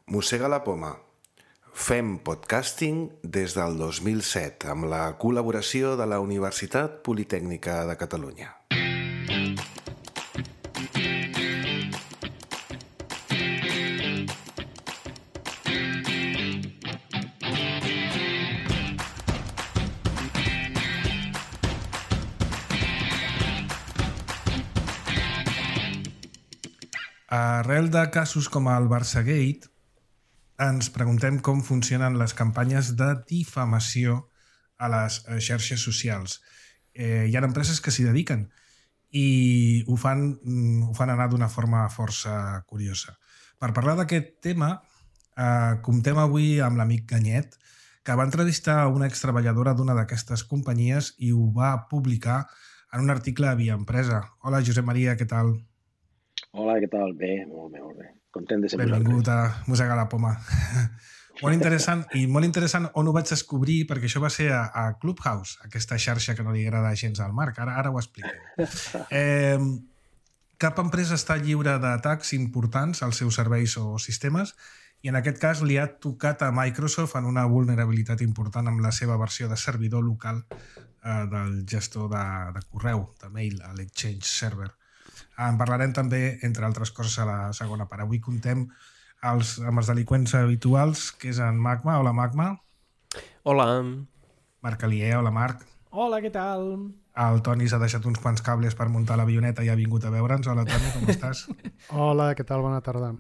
Mossega la poma. Fem podcasting des del 2007 amb la col·laboració de la Universitat Politècnica de Catalunya. Arrel de casos com el Barçagate, ens preguntem com funcionen les campanyes de difamació a les xarxes socials. Hi ha empreses que s'hi dediquen i ho fan anar d'una forma força curiosa. Per parlar d'aquest tema, comptem avui amb l'amic Ganyet, que va entrevistar una extreballadora d'una d'aquestes companyies i ho va publicar en un article a Via Empresa. Hola, Josep Maria, què tal? Hola, què tal? Bé, molt bé, molt bé. Content de ser Benvingut a Mossegar la poma. Molt interessant on ho vaig descobrir, perquè això va ser a Clubhouse, aquesta xarxa que no li agrada gens al Marc. Ara ho expliquem. Cap empresa està lliure d'atacs importants als seus serveis o sistemes i en aquest cas li ha tocat a Microsoft en una vulnerabilitat important amb la seva versió de servidor local del gestor de correu, de mail, a l'Exchange Server. En parlarem també, entre altres coses, a la segona part. Avui contem amb els delinqüents habituals, que és en Magma. Hola, Magma. Hola. Marc Alier. Hola, Marc. Hola, què tal? El Toni s'ha deixat uns quants cables per muntar l'avioneta i ha vingut a veure'ns. Hola, Toni, com estàs? Hola, què tal? Bona tarda.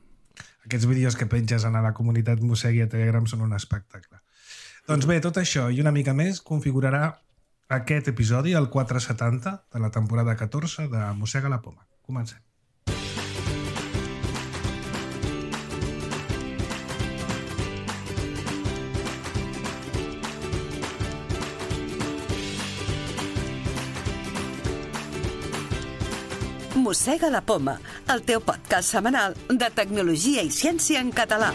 Aquests vídeos que penges a la comunitat Mossegui a Telegram són un espectacle. Doncs bé, tot això i una mica més configurarà aquest episodi, el 470 de la temporada 14 de Mossega la poma. Comencem. Mossega la poma, el teu podcast setmanal de tecnologia i ciència en català.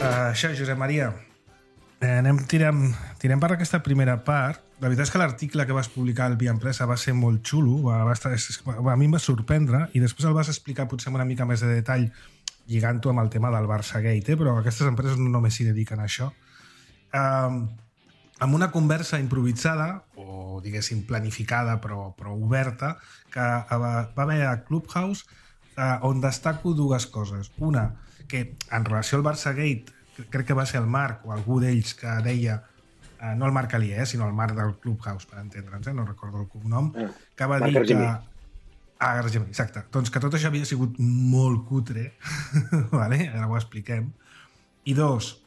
Això, Josep Maria, tirem per aquesta primera part. La veritat és que l'article que vas publicar al Via Empresa va ser molt xulo, a mi em va sorprendre, i després el vas explicar potser amb una mica més de detall lligant-ho amb el tema del Barçagate, però aquestes empreses no només s'hi dediquen a això. Amb una conversa improvisada, o diguéssim planificada però oberta, que va haver a Clubhouse, on destaco dues coses. Una, que en relació al Barçagate, crec que va ser el Marc o algú d'ells que deia, no el Marc Alier, sinó el Marc del Clubhouse, per entendre'ns, no recordo el cognom, que va dir que... Argemí, exacte. Doncs que tot això havia sigut molt cutre, vale? Ara ho expliquem. I dos,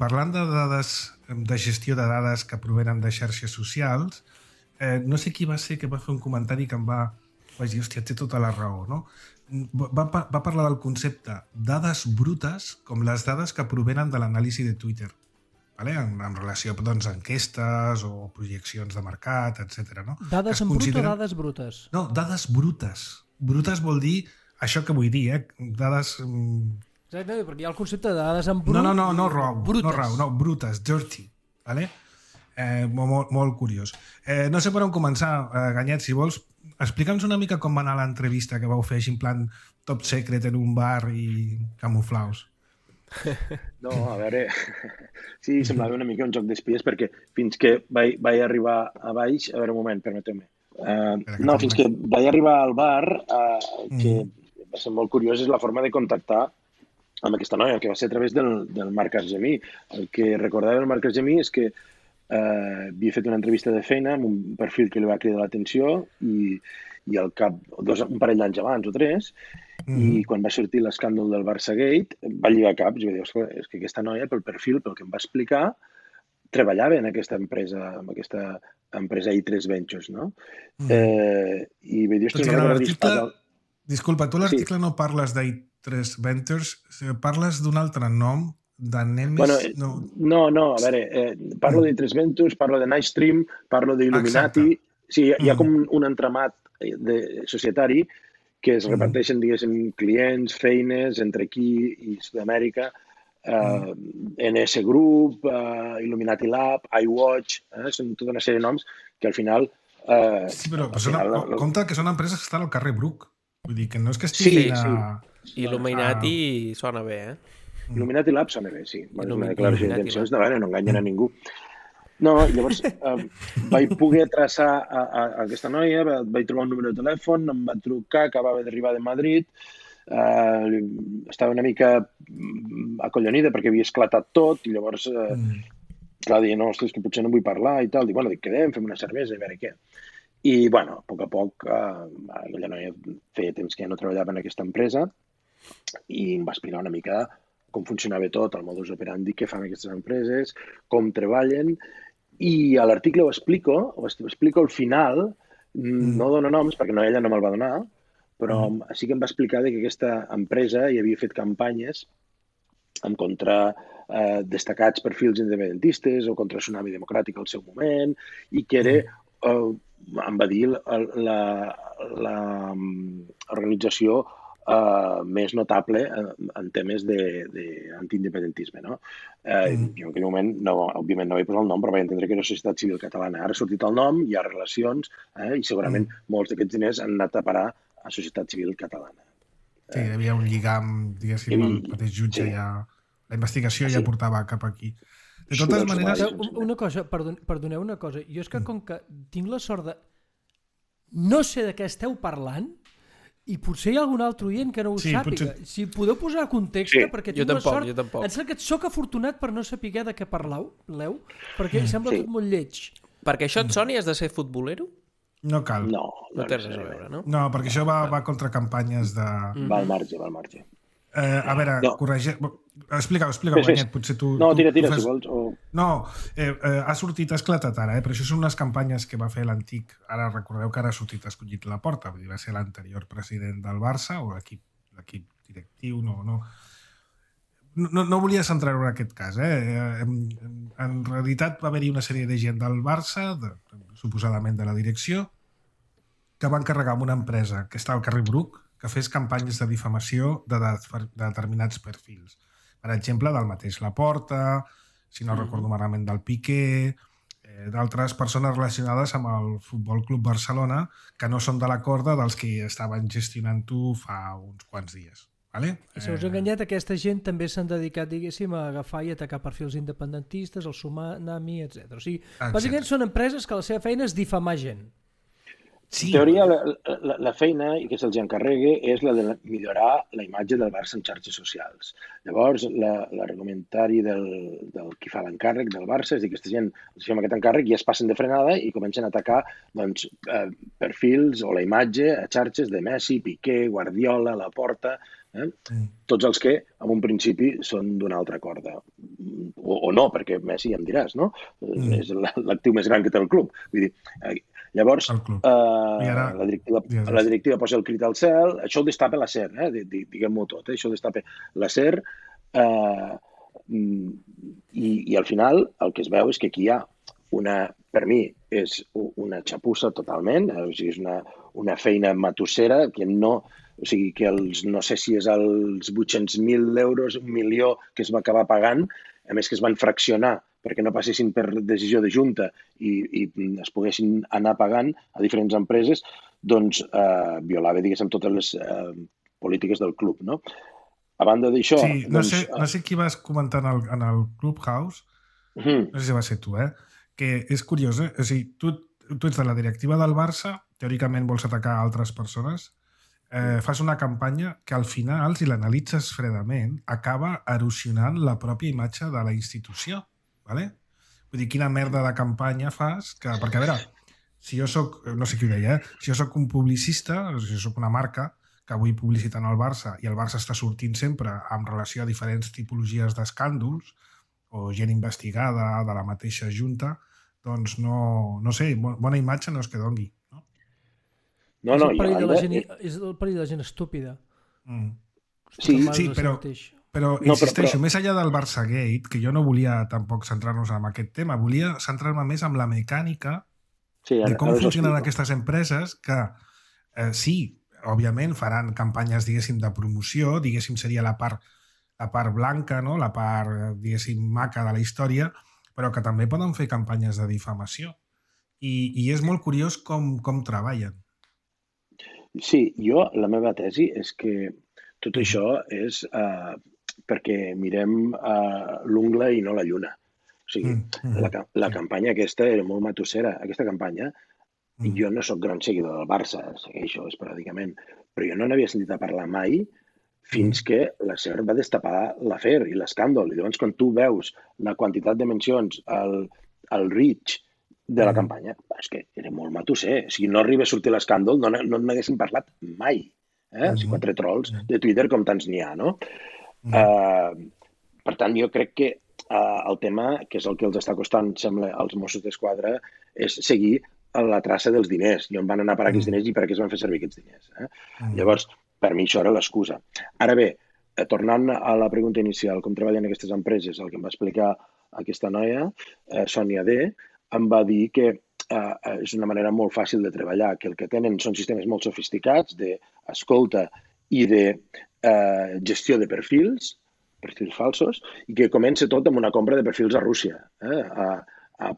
parlant de dades, de gestió de dades que provenen de xarxes socials, no sé qui va ser que va fer un comentari que em va dir, hòstia, té tota la raó, no? Va parlar del concepte dades brutes com les dades que provenen de l'anàlisi de Twitter, vale? En relació doncs, a enquestes o projeccions de mercat, etc. No? Dades en brut o dades brutes? No, dades brutes. Brutes vol dir això que vull dir, dades... Exacte, perquè hi ha el concepte de dades en brut... No, brutes, dirty. Vale? Molt curiós. No sé per on començar, Ganyet, si vols. Explica'ns una mica com va anar l'entrevista que vau fer així en plan top secret en un bar i camuflaus. No, a veure... Sí, semblava una mica un joc d'espies perquè fins que vaig arribar a baix... A veure, un moment, permeteu-me. Fins que vaig arribar al bar, que va ser molt curiós, és la forma de contactar amb aquesta noia, que va ser a través del Marc Argemí. El que recordava del Marc Argemí és que havia fet una entrevista de feina amb un perfil que li va cridar l'atenció i al cap un parell d'anys abans o 3, i quan va sortir l'escàndol del Barçagate va lligar caps i va dir, és que aquesta noia pel perfil, pel que em va explicar, treballava en aquesta empresa, amb aquesta empresa i3 Ventures, no? I va dir, disculpa, tu a l'article no parles d'I3 Ventures, parles d'un altre nom, de Nemes... No, a veure, parlo d'I3 Ventures, parlo de Nightstream, parlo d'Illuminati... Sí, hi ha com un entramat societari que es reparteixen, diguéssim, clients, feines, entre aquí i Sud-amèrica, NS Group, Illuminati Lab, iWatch, són tota una sèrie de noms que al final... Sí, però compte que són empreses que estan al carrer Bruc. Vull dir que no és que estiguin Illuminati sona bé, Illuminati Lab sona bé, sí. És una declaració d'intencions, no enganyen a ningú. No, llavors vaig poder traçar aquesta noia, vaig trobar un número de telèfon, em va trucar, acabava d'arribar de Madrid, estava una mica acollonida perquè havia esclatat tot i llavors, clar, deia, no, ostres, que potser no vull parlar i tal. Dic, bueno, quedem, fem una cervesa i a veure què. I, bueno, a poc, aquella noia feia temps que ja no treballava en aquesta empresa i em va explicar una mica com funcionava tot, el modus operandi que fan aquestes empreses, com treballen, i a l'article ho explico al final, no dono noms perquè ella no me'l va donar, però sí que em va explicar que aquesta empresa hi havia fet campanyes en contra destacats perfils independentistes o contra Tsunami Democràtic al seu moment, i que era, em va dir, l'organització més notable en temes d'antiindependentisme. No? Jo en aquell moment, òbviament no vaig posar el nom, però vaig entendre que era Societat Civil Catalana. Ara ha sortit el nom, hi ha relacions, i segurament molts d'aquests diners han anat a parar a Societat Civil Catalana. Sí, hi havia un lligam, diguéssim, el mateix jutge ja... La investigació ja portava cap aquí. De totes maneres... Una cosa, perdoneu una cosa. Jo és que com que tinc la sort de... No sé de què esteu parlant i potser hi ha algun altre oient que no ho sàpiga. Potser... Si podeu posar context, perquè tinc la sort... Jo tampoc. Em sembla que soc afortunat per no saber de què parleu, perquè sembla tot molt lleig. Perquè això et soni, has de ser futbolero? No cal. No té res a veure, no? No, perquè això va contra campanyes de... Va al marge. A veure, explica-ho, Benet, potser tu... No, tira, si vols. No, ha sortit esclatat ara, però això són unes campanyes que va fer l'antic, ara recordeu que ara ha sortit escollit Laporta, vull dir, va ser l'anterior president del Barça, o l'equip directiu, no volia centrar-ho en aquest cas. En realitat va haver-hi una sèrie de gent del Barça, suposadament de la direcció, que va encarregar amb una empresa que està al carrer Bruc, que fes campanyes de difamació de determinats perfils. Per exemple, del mateix Laporta, si no recordo malament del Piqué, d'altres persones relacionades amb el Futbol Club Barcelona que no són de la corda dels que estaven gestionant-ho fa uns quants dies. Vale? I se us ha enganyat, aquesta gent també s'han dedicat, diguéssim, a agafar i atacar perfils independentistes, el Tsunami, etc. O sigui, bàsicament són empreses que la seva feina és difamar gent. Sí. En teoria, la feina, i que se'ls encarregui, és la de millorar la imatge del Barça en xarxes socials. Llavors, l'argumentari del qui fa l'encàrrec del Barça és que aquesta gent els fem aquest encàrrec i es passen de frenada i comencen a atacar perfils o la imatge a xarxes de Messi, Piqué, Guardiola, Laporta, tots els que en un principi són d'una altra corda. O no, perquè Messi ja em diràs, no? És l'actiu més gran que té el club. Vull dir, llavors, la directiva posa el crit al cel, això ho destapa la SER, diguem-ho tot, això ho destapa la SER, i al final el que es veu és que aquí hi ha per mi, és una xapussa totalment, o sigui, és una feina matussera que no... O sigui, que no sé si és els 800.000 euros, 1 milió que es va acabar pagant, a més que es van fraccionar perquè no passessin per decisió de junta i es poguessin anar pagant a diferents empreses, doncs violava, diguéssim, totes les polítiques del club, no? A banda d'això... Sí, no sé qui vas comentar en el Clubhouse, no sé si va ser tu, que és curiós, o sigui, tu ets de la directiva del Barça, teòricament vols atacar altres persones, fas una campanya que al final, si l'analitzes fredament, acaba erosionant la pròpia imatge de la institució. Vale? Vull dir, quina merda de campanya fas? Perquè, a veure, si jo soc, no sé qui ho deia, si jo soc un publicista, si jo soc una marca que vull publicitar el Barça i el Barça està sortint sempre en relació a diferents tipologies d'escàndols o gent investigada de la mateixa junta, doncs no sé, bona imatge no és que doni. No, és el perill de la gent estúpida. Sí, però insisteixo, més enllà del Barçagate, que jo no volia tampoc centrar-nos en aquest tema, volia centrar-me més en la mecànica de com funcionen aquestes empreses que sí, òbviament faran campanyes, diguéssim, de promoció, diguéssim, seria la part la part blanca, no? La part, diguéssim, maca de la història, però que també poden fer campanyes de difamació. I és molt curiós com treballen. Sí, la meva tesi és que tot això és perquè mirem l'ungla i no la lluna. O sigui, la campanya aquesta era molt matossera. Aquesta campanya, jo no sóc gran seguidor del Barça, segueixo esporàdicament, però jo no n'havia sentit a parlar mai fins que la SER va destapar l'afer i l'escàndol. I llavors, quan tu veus la quantitat de mencions, el reach de la campanya, és que era molt matusser. Si no arriba a sortir l'escàndol, no n'haguéssim parlat mai. O sigui, 4 trolls de Twitter com tants n'hi ha, no? Per tant, jo crec que el tema, que és el que els està costant, sembla, als Mossos d'Esquadra, és seguir la traça dels diners, i on van anar a parar aquests diners i per què es van fer servir aquests diners. Llavors, per mi això era l'excusa. Ara bé, tornant a la pregunta inicial, com treballen aquestes empreses, el que em va explicar aquesta noia, Sònia D., em va dir que és una manera molt fàcil de treballar, que el que tenen són sistemes molt sofisticats d'escolta i de gestió de perfils falsos, i que comença tot amb una compra de perfils a Rússia,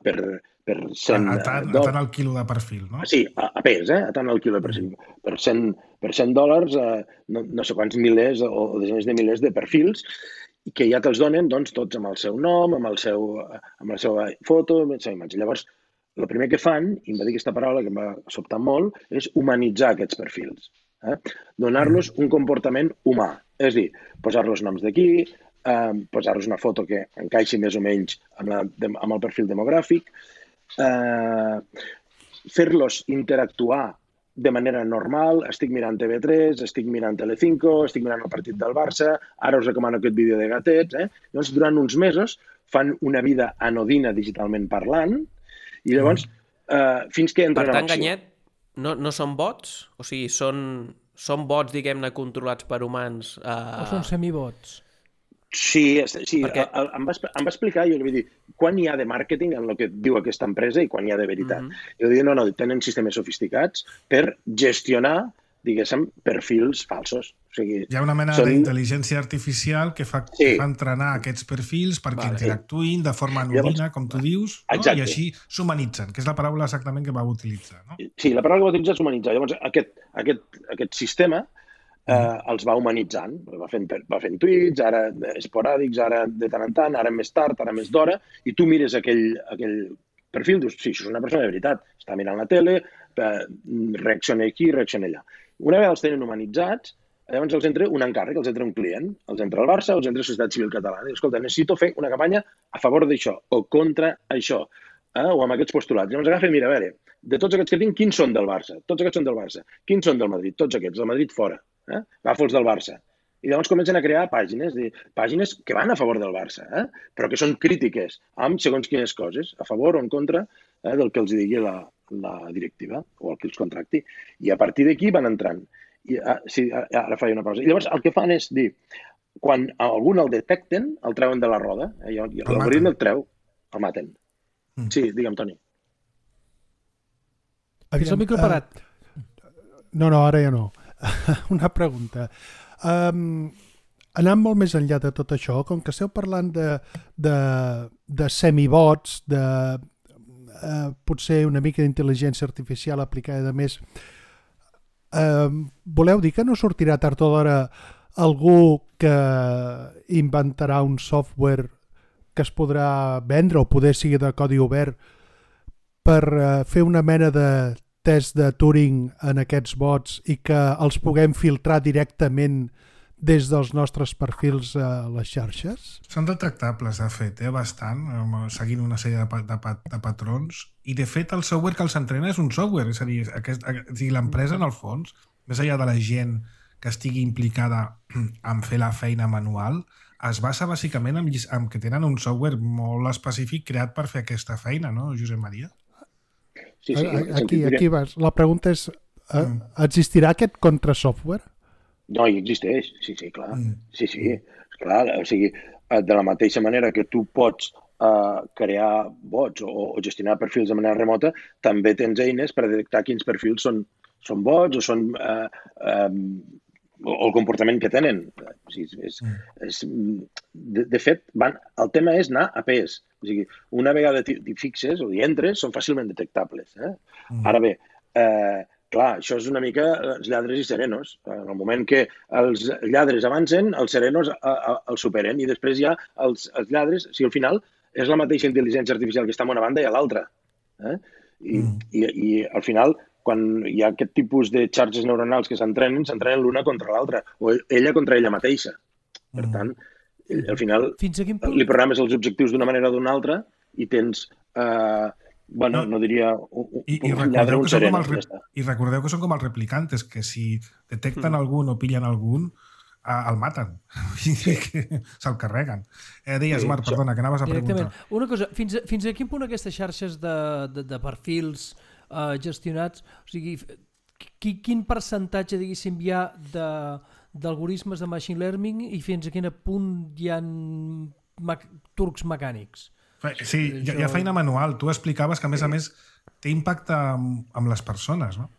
per 100 a tant el quilo de perfil, no? Sí, a pes, a tant el quilo de perfil. Per $100, no sé quants milers o desenes de milers de perfils, i que ja te'ls donen tots amb el seu nom, amb la seva foto, amb la seva imatge. Llavors, el primer que fan, i em va dir aquesta paraula que em va sobtar molt, és humanitzar aquests perfils. Donar-los un comportament humà. És a dir, posar-los noms d'aquí, posar-los una foto que encaixi més o menys amb el perfil demogràfic, fer-los interactuar de manera normal, estic mirant TV3, estic mirant Telecinco, estic mirant el partit del Barça, ara us recomano aquest vídeo de gatets. Llavors, durant uns mesos, fan una vida anodina digitalment parlant, i llavors, fins que entren en acció. Per tant, Ganyet, no són bots? O sigui, són bots, diguem-ne, controlats per humans? O són semibots? Sí, perquè em va explicar, jo li vaig dir, quan hi ha de màrqueting en el que diu aquesta empresa i quan hi ha de veritat. I jo dic, no, tenen sistemes sofisticats per gestionar, diguéssim, perfils falsos. O sigui, hi ha una mena d'intel·ligència artificial que fa entrenar aquests perfils perquè interactuïn de forma anodina, com tu dius, i així s'humanitzen, que és la paraula exactament que va utilitzar. Sí, la paraula que va utilitzar és humanitzar. Llavors, aquest sistema els va humanitzant, va fent tuits, ara esporàdics, ara de tant en tant, ara més tard, ara més d'hora, i tu mires aquell perfil, dius, sí, això és una persona de veritat, està mirant la tele, reacciona aquí, reacciona allà. Una vegada els tenen humanitzats, llavors els entra un encàrrec, els entra un client, els entra el Barça, els entra la Societat Civil Catalana, i diu, escolta, necessito fer una campanya a favor d'això, o contra això, o amb aquests postulats. Llavors agafa i mira, a veure, de tots aquests que tinc, quins són del Barça? Tots aquests són del Barça. Quins són del Madrid? Tots aquests, del Madrid fora. Agafa els del Barça. I llavors comencen a crear pàgines que van a favor del Barça, però que són crítiques amb segons quines coses, a favor o en contra del que els digui la directiva o el que els contracti. I a partir d'aquí van entrant. Sí, ara faig una pausa. I llavors el que fan és dir, quan algun el detecten, el treuen de la roda, i l'algoritme el treu, el maten. Sí, digue'm, Toni. Fins el micro parat. No, ara ja no. Una pregunta. Anant molt més enllà de tot això, com que esteu parlant de semibots, de potser una mica d'intel·ligència artificial aplicada a més, voleu dir que no sortirà tard o d'hora algú que inventarà un software que es podrà vendre o poder sigui de codi obert per fer una mena de test de Turing en aquests bots i que els puguem filtrar directament des dels nostres perfils a les xarxes? Són detectables, de fet, bastant, seguint una sèrie de patrons. I, de fet, el software que els entrena és un software. És a dir, l'empresa, en el fons, més enllà de la gent que estigui implicada en fer la feina manual, es basa bàsicament en que tenen un software molt específic creat per fer aquesta feina, no, Josep Maria? Sí, aquí vas. La pregunta és, existirà aquest contrasoftware? No, hi existeix, sí, clar. Sí, clar, o sigui, de la mateixa manera que tu pots crear bots o gestionar perfils de manera remota, també tens eines per detectar quins perfils són bots o són o el comportament que tenen. O sigui, de fet, el tema és anar a pes. O sigui, una vegada t'hi fixes o hi entres, són fàcilment detectables. Ara bé, clar, això és una mica els lladres i serenos. En el moment que els lladres avancen, els serenos els superen i després hi ha els lladres. O sigui, al final és la mateixa intel·ligència artificial que està en una banda i a l'altra. I al final, quan hi ha aquest tipus de xarxes neuronals que s'entrenen l'una contra l'altra o ella contra ella mateixa. Per tant, al final li programes els objectius d'una manera o d'una altra i tens... Bueno, no diria un lladre o un sereno. I recordeu que són com els replicantes, que si detecten algun o pillen algun, el maten. Se'l carreguen. Deies, Marc, perdona, que anaves a preguntar. Una cosa, fins a quin punt aquestes xarxes de perfils gestionats, o sigui, quin percentatge, diguéssim, hi ha d'algoritmes de machine learning i fins a quin punt hi ha trucs mecànics? Sí, hi ha feina manual. Tu explicaves que, a més, té impacte amb les persones, no?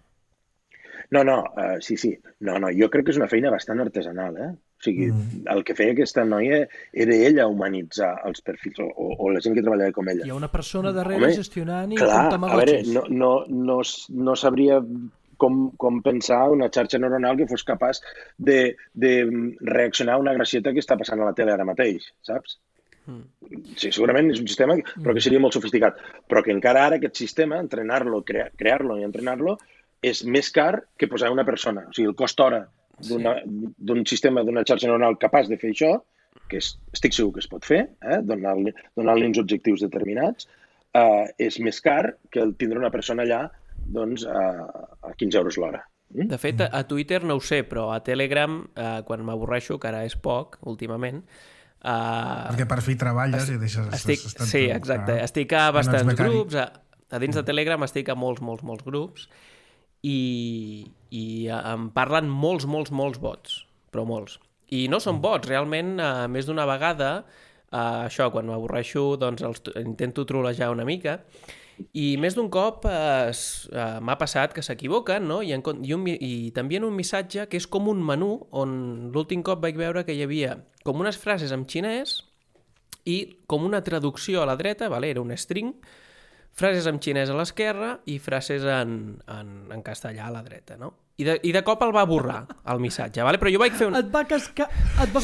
No, sí. No, jo crec que és una feina bastant artesanal, O sigui, el que feia aquesta noia era ella humanitzar els perfils o la gent que treballava com ella. Hi ha una persona darrere gestionant i com tamagotxis. A veure, no sabria com pensar una xarxa neuronal que fos capaç de reaccionar a una gracieta que està passant a la tele ara mateix, saps? Sí, segurament és un sistema però que seria molt sofisticat, però que encara ara aquest sistema, entrenar-lo, crear-lo i entrenar-lo és més car que posar una persona. O sigui, el cost hora d'un sistema, d'una xarxa neuronal capaç de fer això, que estic segur que es pot fer, donar-li uns objectius determinats, és més car que el tindre una persona allà doncs, a 15 euros l'hora. De fet, a Twitter no ho sé, però a Telegram, quan m'avorreixo, que ara és poc, últimament, perquè per fi treballes i deixes... Sí, exacte. Estic a bastants grups. A dins de Telegram estic a molts grups i em parlen molts bots, però molts. I no són bots, realment, més d'una vegada, això, quan m'avorreixo, doncs intento trolejar una mica. I més d'un cop m'ha passat que s'equivoquen, no? I t'envien un missatge que és com un menú on l'últim cop vaig veure que hi havia com unes frases en xinès i com una traducció a la dreta, era un string, frases en xinès a l'esquerra i frases en castellà a la dreta, no? I de cop el va borrar, el missatge, però jo vaig fer Et va fer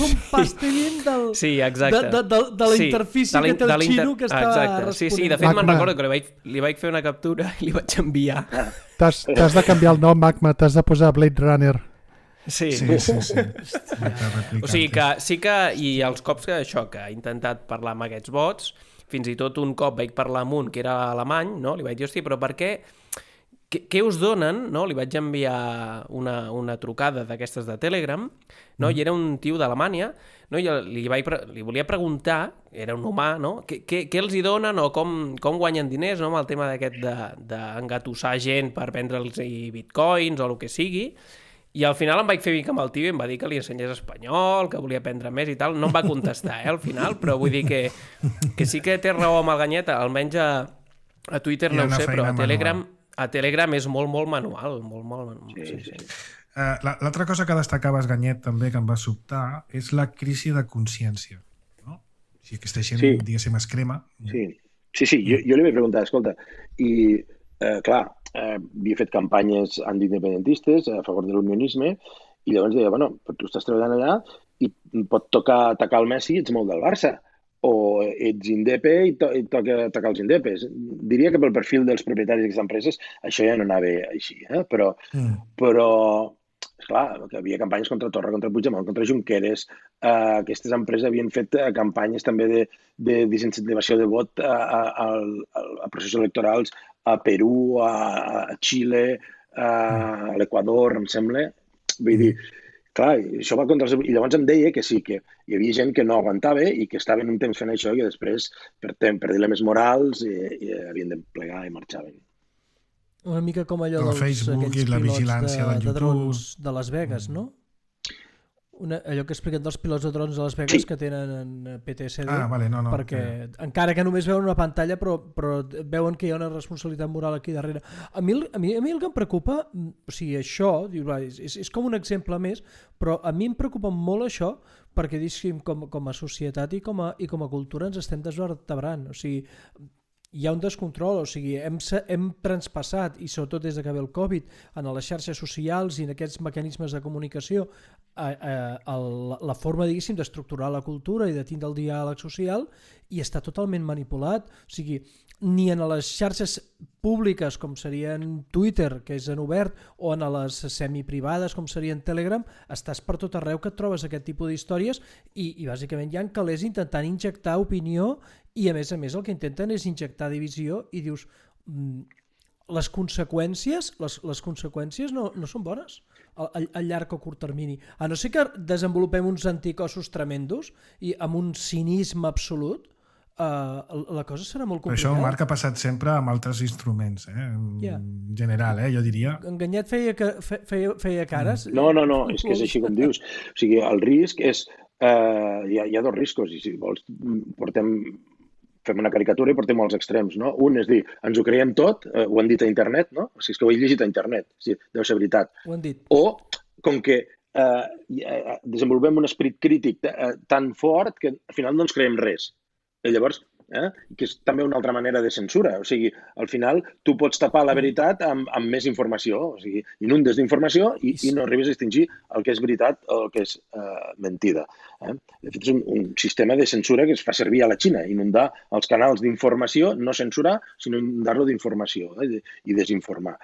un pastellín sí, exacte. de la interfície que té el xino que estava responent. Sí, de fet me'n recordo que li vaig fer una captura i li vaig enviar. T'has de canviar el nom, Magma, t'has de posar Blade Runner. Sí. O sigui que sí que, i els cops que he intentat parlar amb aquests bots, fins i tot un cop vaig parlar amb un que era alemany, no? Li vaig dir, hòstia, però per què? Què us donen? No? Li vaig enviar una trucada d'aquestes de Telegram, no? I era un tio d'Alemanya, no? I li volia preguntar, era un humà, no? Què els hi donen o com guanyen diners, no? Amb el tema d'aquest d'engatussar gent per vendre'ls bitcoins o el que sigui. I al final em vaig fer mica amb el tio i em va dir que li ensenyés espanyol, que volia aprendre més i tal. No em va contestar, al final, però vull dir que sí que té raó amb el Ganyet, almenys a Twitter no ho sé, però a Telegram és molt manual. Sí. L'altra cosa que destacaves, Ganyet, també, que em va sobtar, és la crisi de consciència. No? O sigui, aquesta gent, diguéssim, es crema. Sí, jo li vaig preguntar, escolta, i clar, havia fet campanyes antiindependentistes a favor de l'unionisme i llavors deia, bueno, tu estàs treballant allà i pot tocar atacar el Messi i ets molt del Barça, o ets indepe i toca atacar els indepes. Diria que pel perfil dels propietaris d'aquestes empreses això ja no anava així, però esclar, que havia campanyes contra Torra, contra Puigdemont, contra Junqueras. Aquestes empreses havien fet campanyes també de desincentivació de vot a processos electorals a Perú, a Xile, a l'Equador, em sembla. Vull dir, clar, això va contra els... I llavors em deia que sí, que hi havia gent que no aguantava i que estaven un temps fent això i que després, per dilemes morals, havien de plegar i marxaven. Una mica com allò dels Facebook i la vigilància de drons de Las Vegas, no? allò que expliquen dels pilots de drons a Las Vegas que tenen PTSD, perquè encara que només veuen una pantalla però veuen que hi ha una responsabilitat moral aquí darrere. A mi el que em preocupa, o sigui, això és com un exemple més, però a mi em preocupa molt això perquè com a societat i com a cultura ens estem desvertebrant. O sigui, hi ha un descontrol, o sigui, hem transpassat, i sobretot des que ve el Covid, en les xarxes socials i en aquests mecanismes de comunicació, la forma, diguéssim, d'estructurar la cultura i de tindre el diàleg social, i està totalment manipulat. O sigui, ni en les xarxes públiques, com serien Twitter, que és en obert, o en les semiprivades, com serien Telegram, estàs per tot arreu que et trobes aquest tipus d'històries i bàsicament hi ha calés intentant injectar opinió i a més el que intenten és injectar divisió i dius les conseqüències no són bones a llarg o curt termini, a no ser que desenvolupem uns anticossos tremendos i amb un cinisme absolut. La cosa serà molt complicada. Però això, Marc, ha passat sempre amb altres instruments, en general, jo diria. Enganyat feia cares? No, és que és així com dius. O sigui, el risc és... Hi ha dos riscos, i si vols fem una caricatura i portem als extrems, no? Un és dir, ens ho creiem tot, ho han dit a internet, no? O sigui, és que ho he llegit a internet, deu ser veritat. Ho han dit. O, com que desenvolupem un esperit crític tan fort que al final no ens creiem res. I llavors, que és també una altra manera de censura. O sigui, al final tu pots tapar la veritat amb més informació. O sigui, inundes d'informació i no arribes a distingir el que és veritat o el que és mentida. De fet, és un sistema de censura que es fa servir a la Xina, inundar els canals d'informació, no censurar, sinó inundar-lo d'informació i desinformar.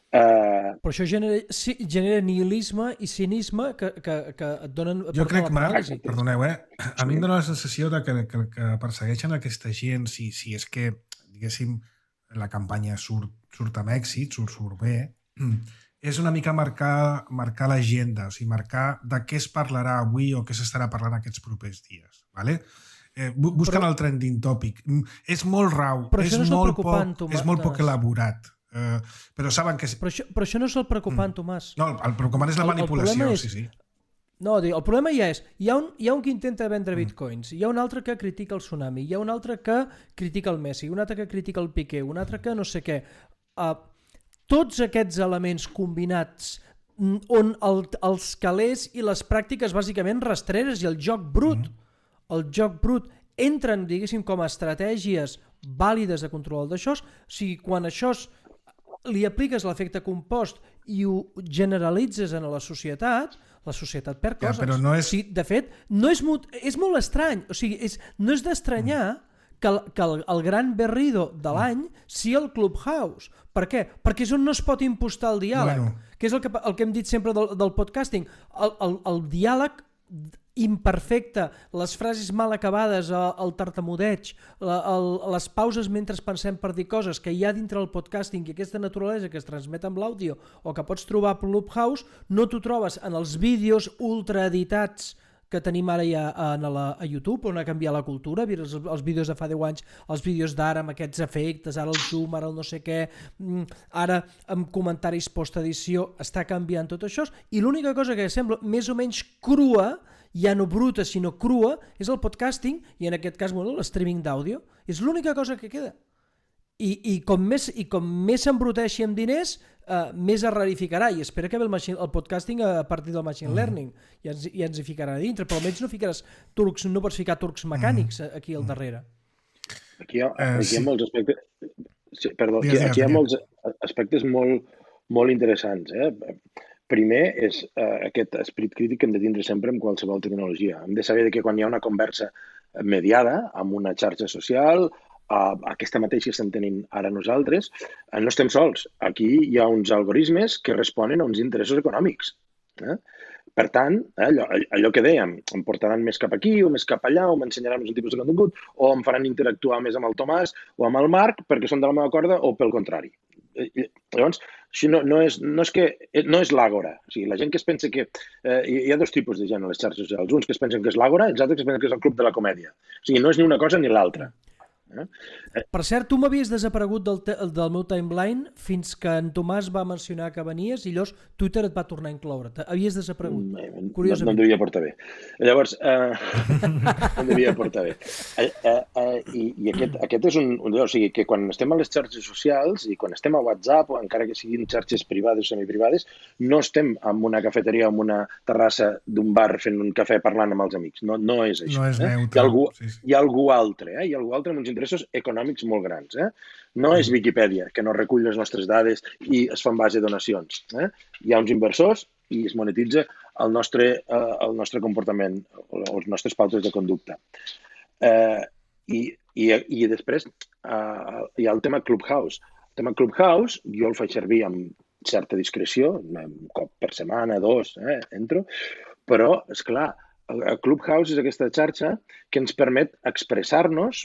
Però això genera nihilisme i cinisme que et donen... Jo crec, Marc, perdoneu, a mi em dóna la sensació que persegueixen aquesta gent, si és que, diguéssim, la campanya surt amb èxit, surt bé, és una mica marcar l'agenda, o sigui, marcar de què es parlarà avui o què s'estarà parlant aquests propers dies, ¿vale? Busquen el trending topic. És molt rau, és molt poc elaborat. Però saben que... Però això no és el preocupant, Tomàs. No, el preocupant és la manipulació, sí. No, el problema ja és, hi ha un que intenta vendre bitcoins, hi ha un altre que critica el tsunami, hi ha un altre que critica el Messi, un altre que critica el Piqué, un altre que no sé què. Tots aquests elements combinats on els calés i les pràctiques bàsicament rastreres i el joc brut entren, diguéssim, com a estratègies vàlides de control d'això. O sigui, quan això li apliques l'efecte compost i ho generalitzes en la societat perd coses. Però no és... O sigui, de fet, és molt estrany. O sigui, no és d'estranyar que el gran berrido de l'any sigui el Clubhouse. Per què? Perquè és on no es pot impostar el diàleg. Que és el que hem dit sempre del podcasting. El diàleg imperfecte, les frases mal acabades, el tartamudeig, les pauses mentre pensem per dir coses que hi ha dintre el podcasting i aquesta naturalesa que es transmet amb l'àudio o que pots trobar a Clubhouse, no t'ho trobes en els vídeos ultraeditats que tenim ara ja a YouTube, on ha canviat la cultura, els vídeos de fa 10 anys, els vídeos d'ara amb aquests efectes, ara el zoom, ara el no sé què, ara amb comentaris post-edició, està canviant tot això, i l'única cosa que sembla més o menys crua, ja no bruta sinó crua, és el podcasting i en aquest cas l'streaming d'àudio. És l'única cosa que queda. I com més s'embruteixi amb diners, més es rarificarà, i espera que ve el podcasting a partir del machine learning i ens hi ficarà a dintre, però almenys no pots ficar turcs mecànics aquí al darrere. Aquí hi ha molts aspectes... Perdó, aquí hi ha molts aspectes molt interessants. Primer és aquest esperit crític que hem de tindre sempre amb qualsevol tecnologia. Hem de saber que quan hi ha una conversa mediada amb una xarxa social, aquesta mateixa estem tenint ara nosaltres, no estem sols. Aquí hi ha uns algoritmes que responen a uns interessos econòmics. Per tant, allò que dèiem, em portaran més cap aquí o més cap allà, o m'ensenyaran un tipus de contingut, o em faran interactuar més amb el Tomàs o amb el Marc perquè són de la meva corda, o pel contrari. Llavors, no és l'àgora. O sigui, la gent que es pensa que... Hi ha dos tipus de gent a les xarxes socials. Uns que es pensen que és l'àgora i els altres que es pensen que és el club de la comèdia. O sigui, no és ni una cosa ni l'altra. Per cert, tu m'havies desaparegut del meu timeline fins que en Tomàs va mencionar que venies i llavors Twitter et va tornar a incloure. Havies desaparegut. No em devia portar bé. Llavors, no em devia portar bé. I aquest és un lloc, o sigui, que quan estem a les xarxes socials i quan estem a WhatsApp, o encara que siguin xarxes privades o semiprivades, no estem en una cafeteria o en una terrassa d'un bar fent un cafè parlant amb els amics. No és això. No és neutre. Hi ha algú altre, hi ha algú altre amb uns interessos econòmics molt grans. No és Viquipèdia, que no recull les nostres dades i es fan base de donacions. Hi ha uns inversors i es monetitza el nostre comportament, els nostres pautes de conducta. I després hi ha el tema Clubhouse. El tema Clubhouse jo el faig servir amb certa discreció, un cop per setmana, 2, entro, però, esclar, Clubhouse és aquesta xarxa que ens permet expressar-nos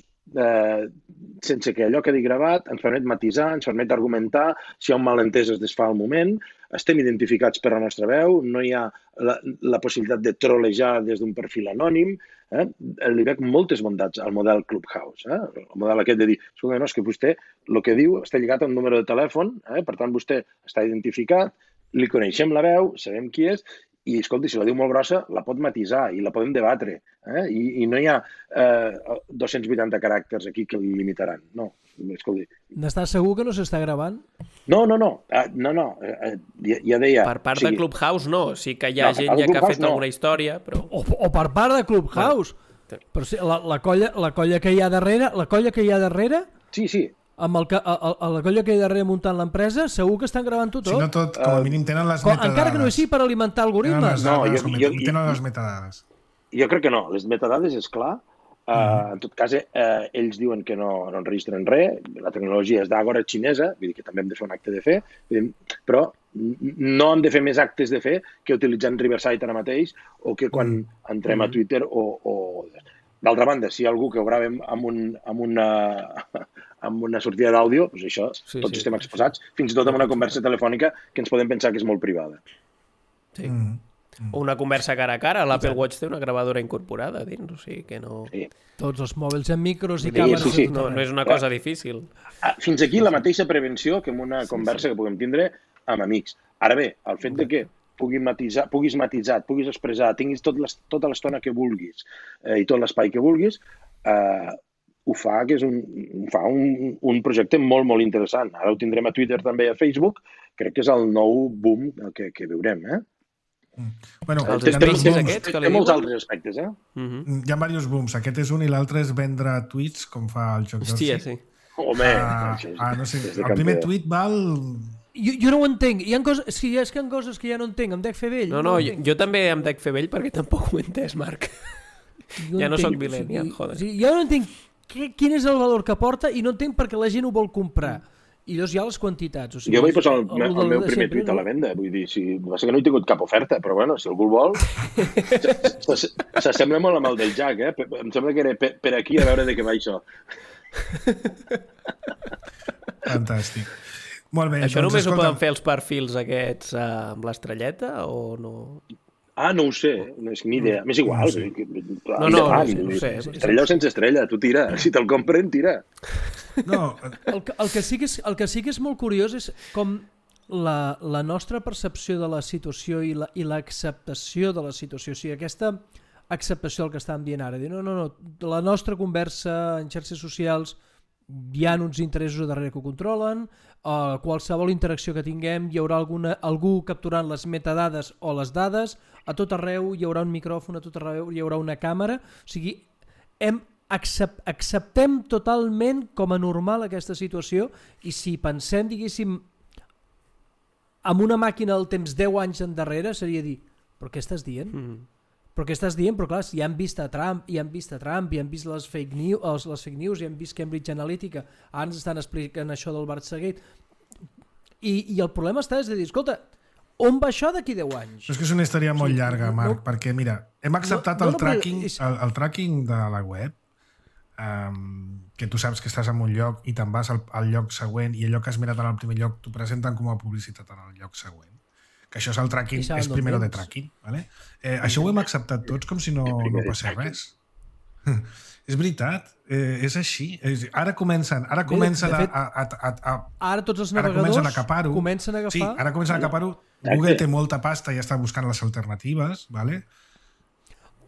sense que allò quedi gravat, ens permet matisar, ens permet argumentar, si hi ha un malentès es desfà al moment, estem identificats per la nostra veu, no hi ha la possibilitat de trolejar des d'un perfil anònim, li veig moltes bondats al model Clubhouse, el model aquest de dir, escolta, no, és que vostè el que diu està lligat a un número de telèfon, per tant vostè està identificat, li coneixem la veu, sabem qui és, i, escolta, si la diu molt grossa, la pot matisar i la podem debatre. I no hi ha 280 caràcters aquí que li limitaran. No, escolta. N'estàs segur que no s'està gravant? No. Ja deia... Per part de Clubhouse, no. Sí que hi ha gent ja que ha fet alguna història, però... O per part de Clubhouse. Però sí, la colla que hi ha darrere... Sí. Amb la colla que hi ha darrere muntant l'empresa, segur que estan gravant tot. Si no tot, com a mínim tenen les metadades. Encara que no sigui per alimentar algoritmes. Tenen les metadades. Jo crec que no. Les metadades, és clar. En tot cas, ells diuen que no enregistren res. La tecnologia és d'Agora xinesa, vull dir que també hem de fer un acte de fe, però no hem de fer més actes de fe que utilitzant Riverside ara mateix o que quan entrem a Twitter o... D'altra banda, si hi ha algú que ho gravem amb una sortida d'àudio, doncs això, tots estem exposats, fins i tot amb una conversa telefònica que ens podem pensar que és molt privada. Sí. O una conversa cara a cara. L'Apple Watch té una gravadora incorporada dins, o sigui que no... Sí. Tots els mòbils amb micros i càmeres... Sí. No és una cosa difícil. Fins aquí la mateixa prevenció que en una conversa que puguem tindre amb amics. Ara bé, el fet de que puguis matisar, et puguis expressar, tinguis tota l'estona que vulguis i tot l'espai que vulguis, ho fa que és un projecte molt, molt interessant. Ara ho tindrem a Twitter, també a Facebook. Crec que és el nou boom que veurem. Bueno, té molts altres aspectes. Hi ha diversos booms. Aquest és un i l'altre és vendre tuits, com fa el Joc Hòstia, sí. Home, no sé, el primer tuit val... Jo no ho entenc. Hi ha coses que ja no entenc. Em dec fer vell. No, jo també em dec fer vell perquè tampoc ho he entès, Marc. Ja no soc millennial, joder. Jo no entenc quin és el valor que porta i no entenc per què la gent ho vol comprar. I llavors hi ha les quantitats. Jo vaig posar el meu primer tuit a la venda. Vull dir, va ser que no he tingut cap oferta, però bueno, si algú el vol... S'assembla molt amb el del Jack, Em sembla que era per aquí a veure de què va això. Fantàstic. Molt bé. Això només ho poden fer els perfils aquests amb l'estrelleta o no? No ho sé, no és ni idea. M'és igual. No sé. Estrella o sense estrella, tu tira. Si te'l compren, tira. No. El que sí que és molt curiós és com la nostra percepció de la situació i l'acceptació de la situació. O sigui, aquesta acceptació del que estàvem dient ara. No, la nostra conversa en xarxes socials hi ha uns interessos darrere que ho controlen, qualsevol interacció que tinguem hi haurà algú capturant les metadades o les dades, a tot arreu hi haurà un micròfon, a tot arreu hi haurà una càmera, o sigui, acceptem totalment com a normal aquesta situació i si pensem, diguéssim, amb una màquina del temps 10 anys endarrere seria dir, però què estàs dient? Però què estàs dient? Però clar, si ja han vist Trump, i han vist les fake news, i han vist Cambridge Analytica, ara ens estan explicant això del Watergate. I el problema és de dir, escolta, on va això d'aquí 10 anys? És que és una història molt llarga, Marc, perquè mira, hem acceptat el tracking de la web, que tu saps que estàs en un lloc i te'n vas al lloc següent i allò que has mirat en el primer lloc t'ho presenten com a publicitat en el lloc següent. Que això és el tracking, és primero de tracking. ¿Vale? Això ho hem acceptat tots com si no passés res. És veritat, és així. Ara comencen ara tots els navegadors comencen a agafar... Sí, ara comencen a agafar-ho. Google té molta pasta i està buscant les alternatives, ¿vale?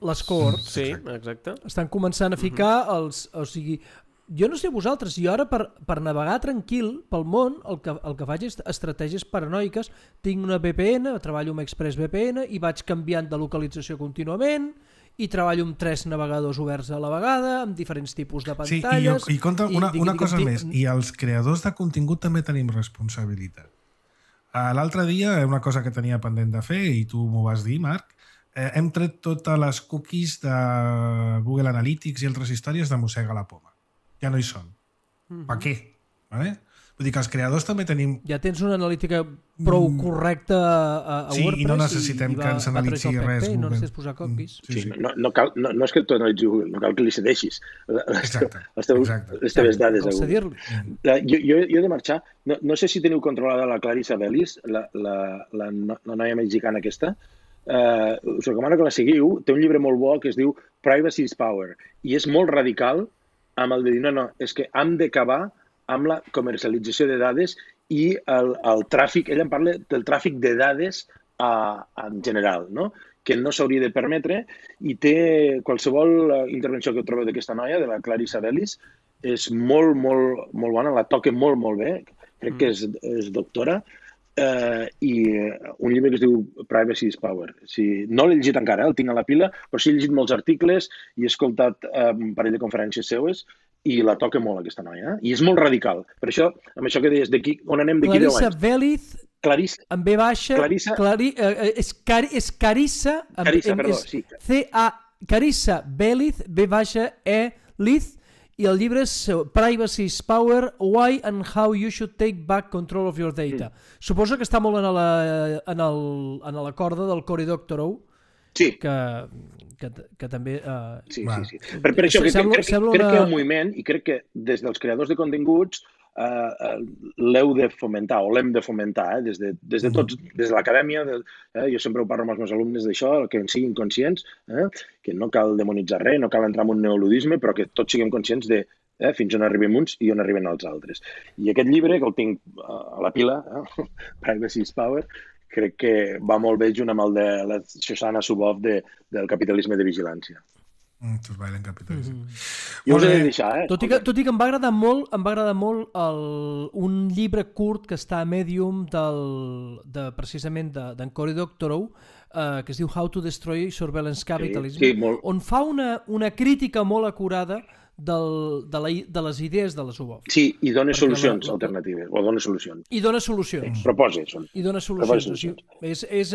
Les cohorts. Sí, exacte. Estan començant a ficar els... O sigui, jo no sé vosaltres, jo ara per navegar tranquil pel món el que faig és estratègies paranoiques. Tinc una VPN, treballo amb ExpressVPN i vaig canviant de localització contínuament i treballo amb 3 navegadors oberts a la vegada, amb diferents tipus de pantalles... Sí, i compta una cosa més, i els creadors de contingut també tenim responsabilitat. L'altre dia, una cosa que tenia pendent de fer, i tu m'ho vas dir, Marc, hem tret totes les cookies de Google Analytics i altres històries de Mossega la Poma. Ja no hi són. Per què? Vale? Vull dir que els creadors també tenim... Ja tens una analítica prou correcta a WordPress. Sí, i no necessitem que ens analitzi res. No necessites posar cookies. No és que tu analitzi Google, no cal que li cedeixis les teves dades a Google. Jo he de marxar. No sé si teniu controlada la Clarissa Bellis, la noia mexicana aquesta. Us recomano que la seguiu. Té un llibre molt bo que es diu Privacy is Power i és molt radical amb el de dir no, és que hem d'acabar amb la comercialització de dades i el tràfic, ella en parla del tràfic de dades en general, no? Que no s'hauria de permetre, i té qualsevol intervenció que trobeu d'aquesta noia, de la Clarissa Bellis, és molt, molt, molt bona, la toca molt, molt bé, crec que és doctora, i un llibre que es diu Privacy is Power. No l'he llegit encara, el tinc a la pila, però sí he llegit molts articles i he escoltat un parell de conferències seues i la toca molt aquesta noia, i és molt radical. Per això, amb això que deies, on anem d'aquí 10 anys? Clarissa Bellis, amb B baixa, és Carissa, perdó, sí. Carissa Bellis, B baixa, Liz, i el llibre és Privacy is Power, Why and How You Should Take Back Control of Your Data. Suposo que està molt en la corda del Cory Doctorow, que també... Sí. Per això crec que hi ha un moviment, i crec que des dels creadors de continguts l'heu de fomentar, o l'hem de fomentar, des de tots, des de l'acadèmia. Jo sempre ho parlo amb els meus alumnes d'això, que en siguin conscients, que no cal demonitzar res, no cal entrar en un neoludisme, però que tots siguem conscients de fins on arribem uns i on arriben els altres. I aquest llibre, que el tinc a la pila, Privacy is Power, crec que va molt bé junt amb el de la Shoshana Zuboff del capitalisme de vigilància. Tots bailen capitalisme. Jo us he de deixar, Tot i que em va agradar molt un llibre curt que està a Medium precisament d'en Cory Doctorow, que es diu How to Destroy Surveillance Capitalism, on fa una crítica molt acurada de les idees de la Zuboff. Sí, i dona solucions alternatives, o dona solucions. I dona solucions. Proposes. I dona solucions. És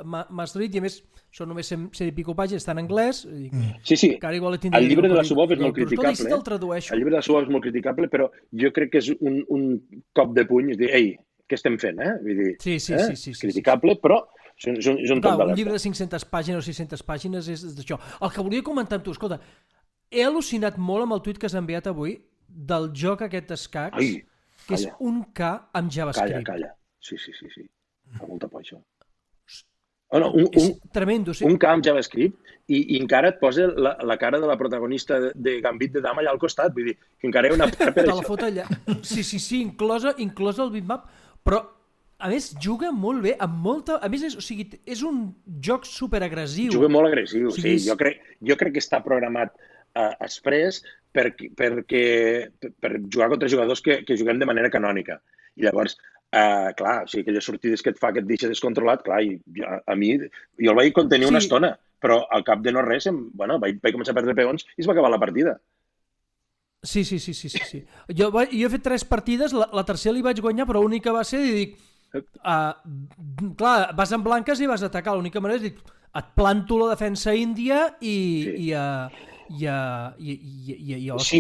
Maastricht, i a més són només 100 i pico pàgines, està en anglès. Sí. El llibre de la Zuboff és molt criticable. El llibre de la Zuboff és molt criticable, però jo crec que és un cop de puny, és dir, ei, què estem fent? Vull dir, sí. criticable, però és un top d'alerta. Un llibre de 500 pàgines o 600 pàgines és d'això. El que volia comentar amb tu, escolta, he al·lucinat molt amb el tuit que has enviat avui del joc aquest d'escacs, que és un K amb JavaScript. Calla. Sí. Fa molta por, això. És tremendo. Un K amb JavaScript i encara et posa la cara de la protagonista de Gambit de Dama allà al costat. Vull dir, que encara hi ha una part per això. Te la fot allà. Sí, inclosa el bitmap, però a més juga molt bé, amb molta... A més, és un joc superagressiu. Juga molt agressiu, sí. Jo crec que està programat express per jugar contra jugadors que juguem de manera canònica. I llavors, clar, o sigui, aquelles sortides que et fa que et deixa descontrolat, clar, a mi, jo el vaig contenir una estona, però al cap de no res, vaig començar a perdre peons i es va acabar la partida. Sí. Jo he fet 3 partides, la tercera li vaig guanyar, però l'única va ser, i dic, clar, vas en blanques i vas atacar, l'única manera és dir, et planto la defensa índia i sí,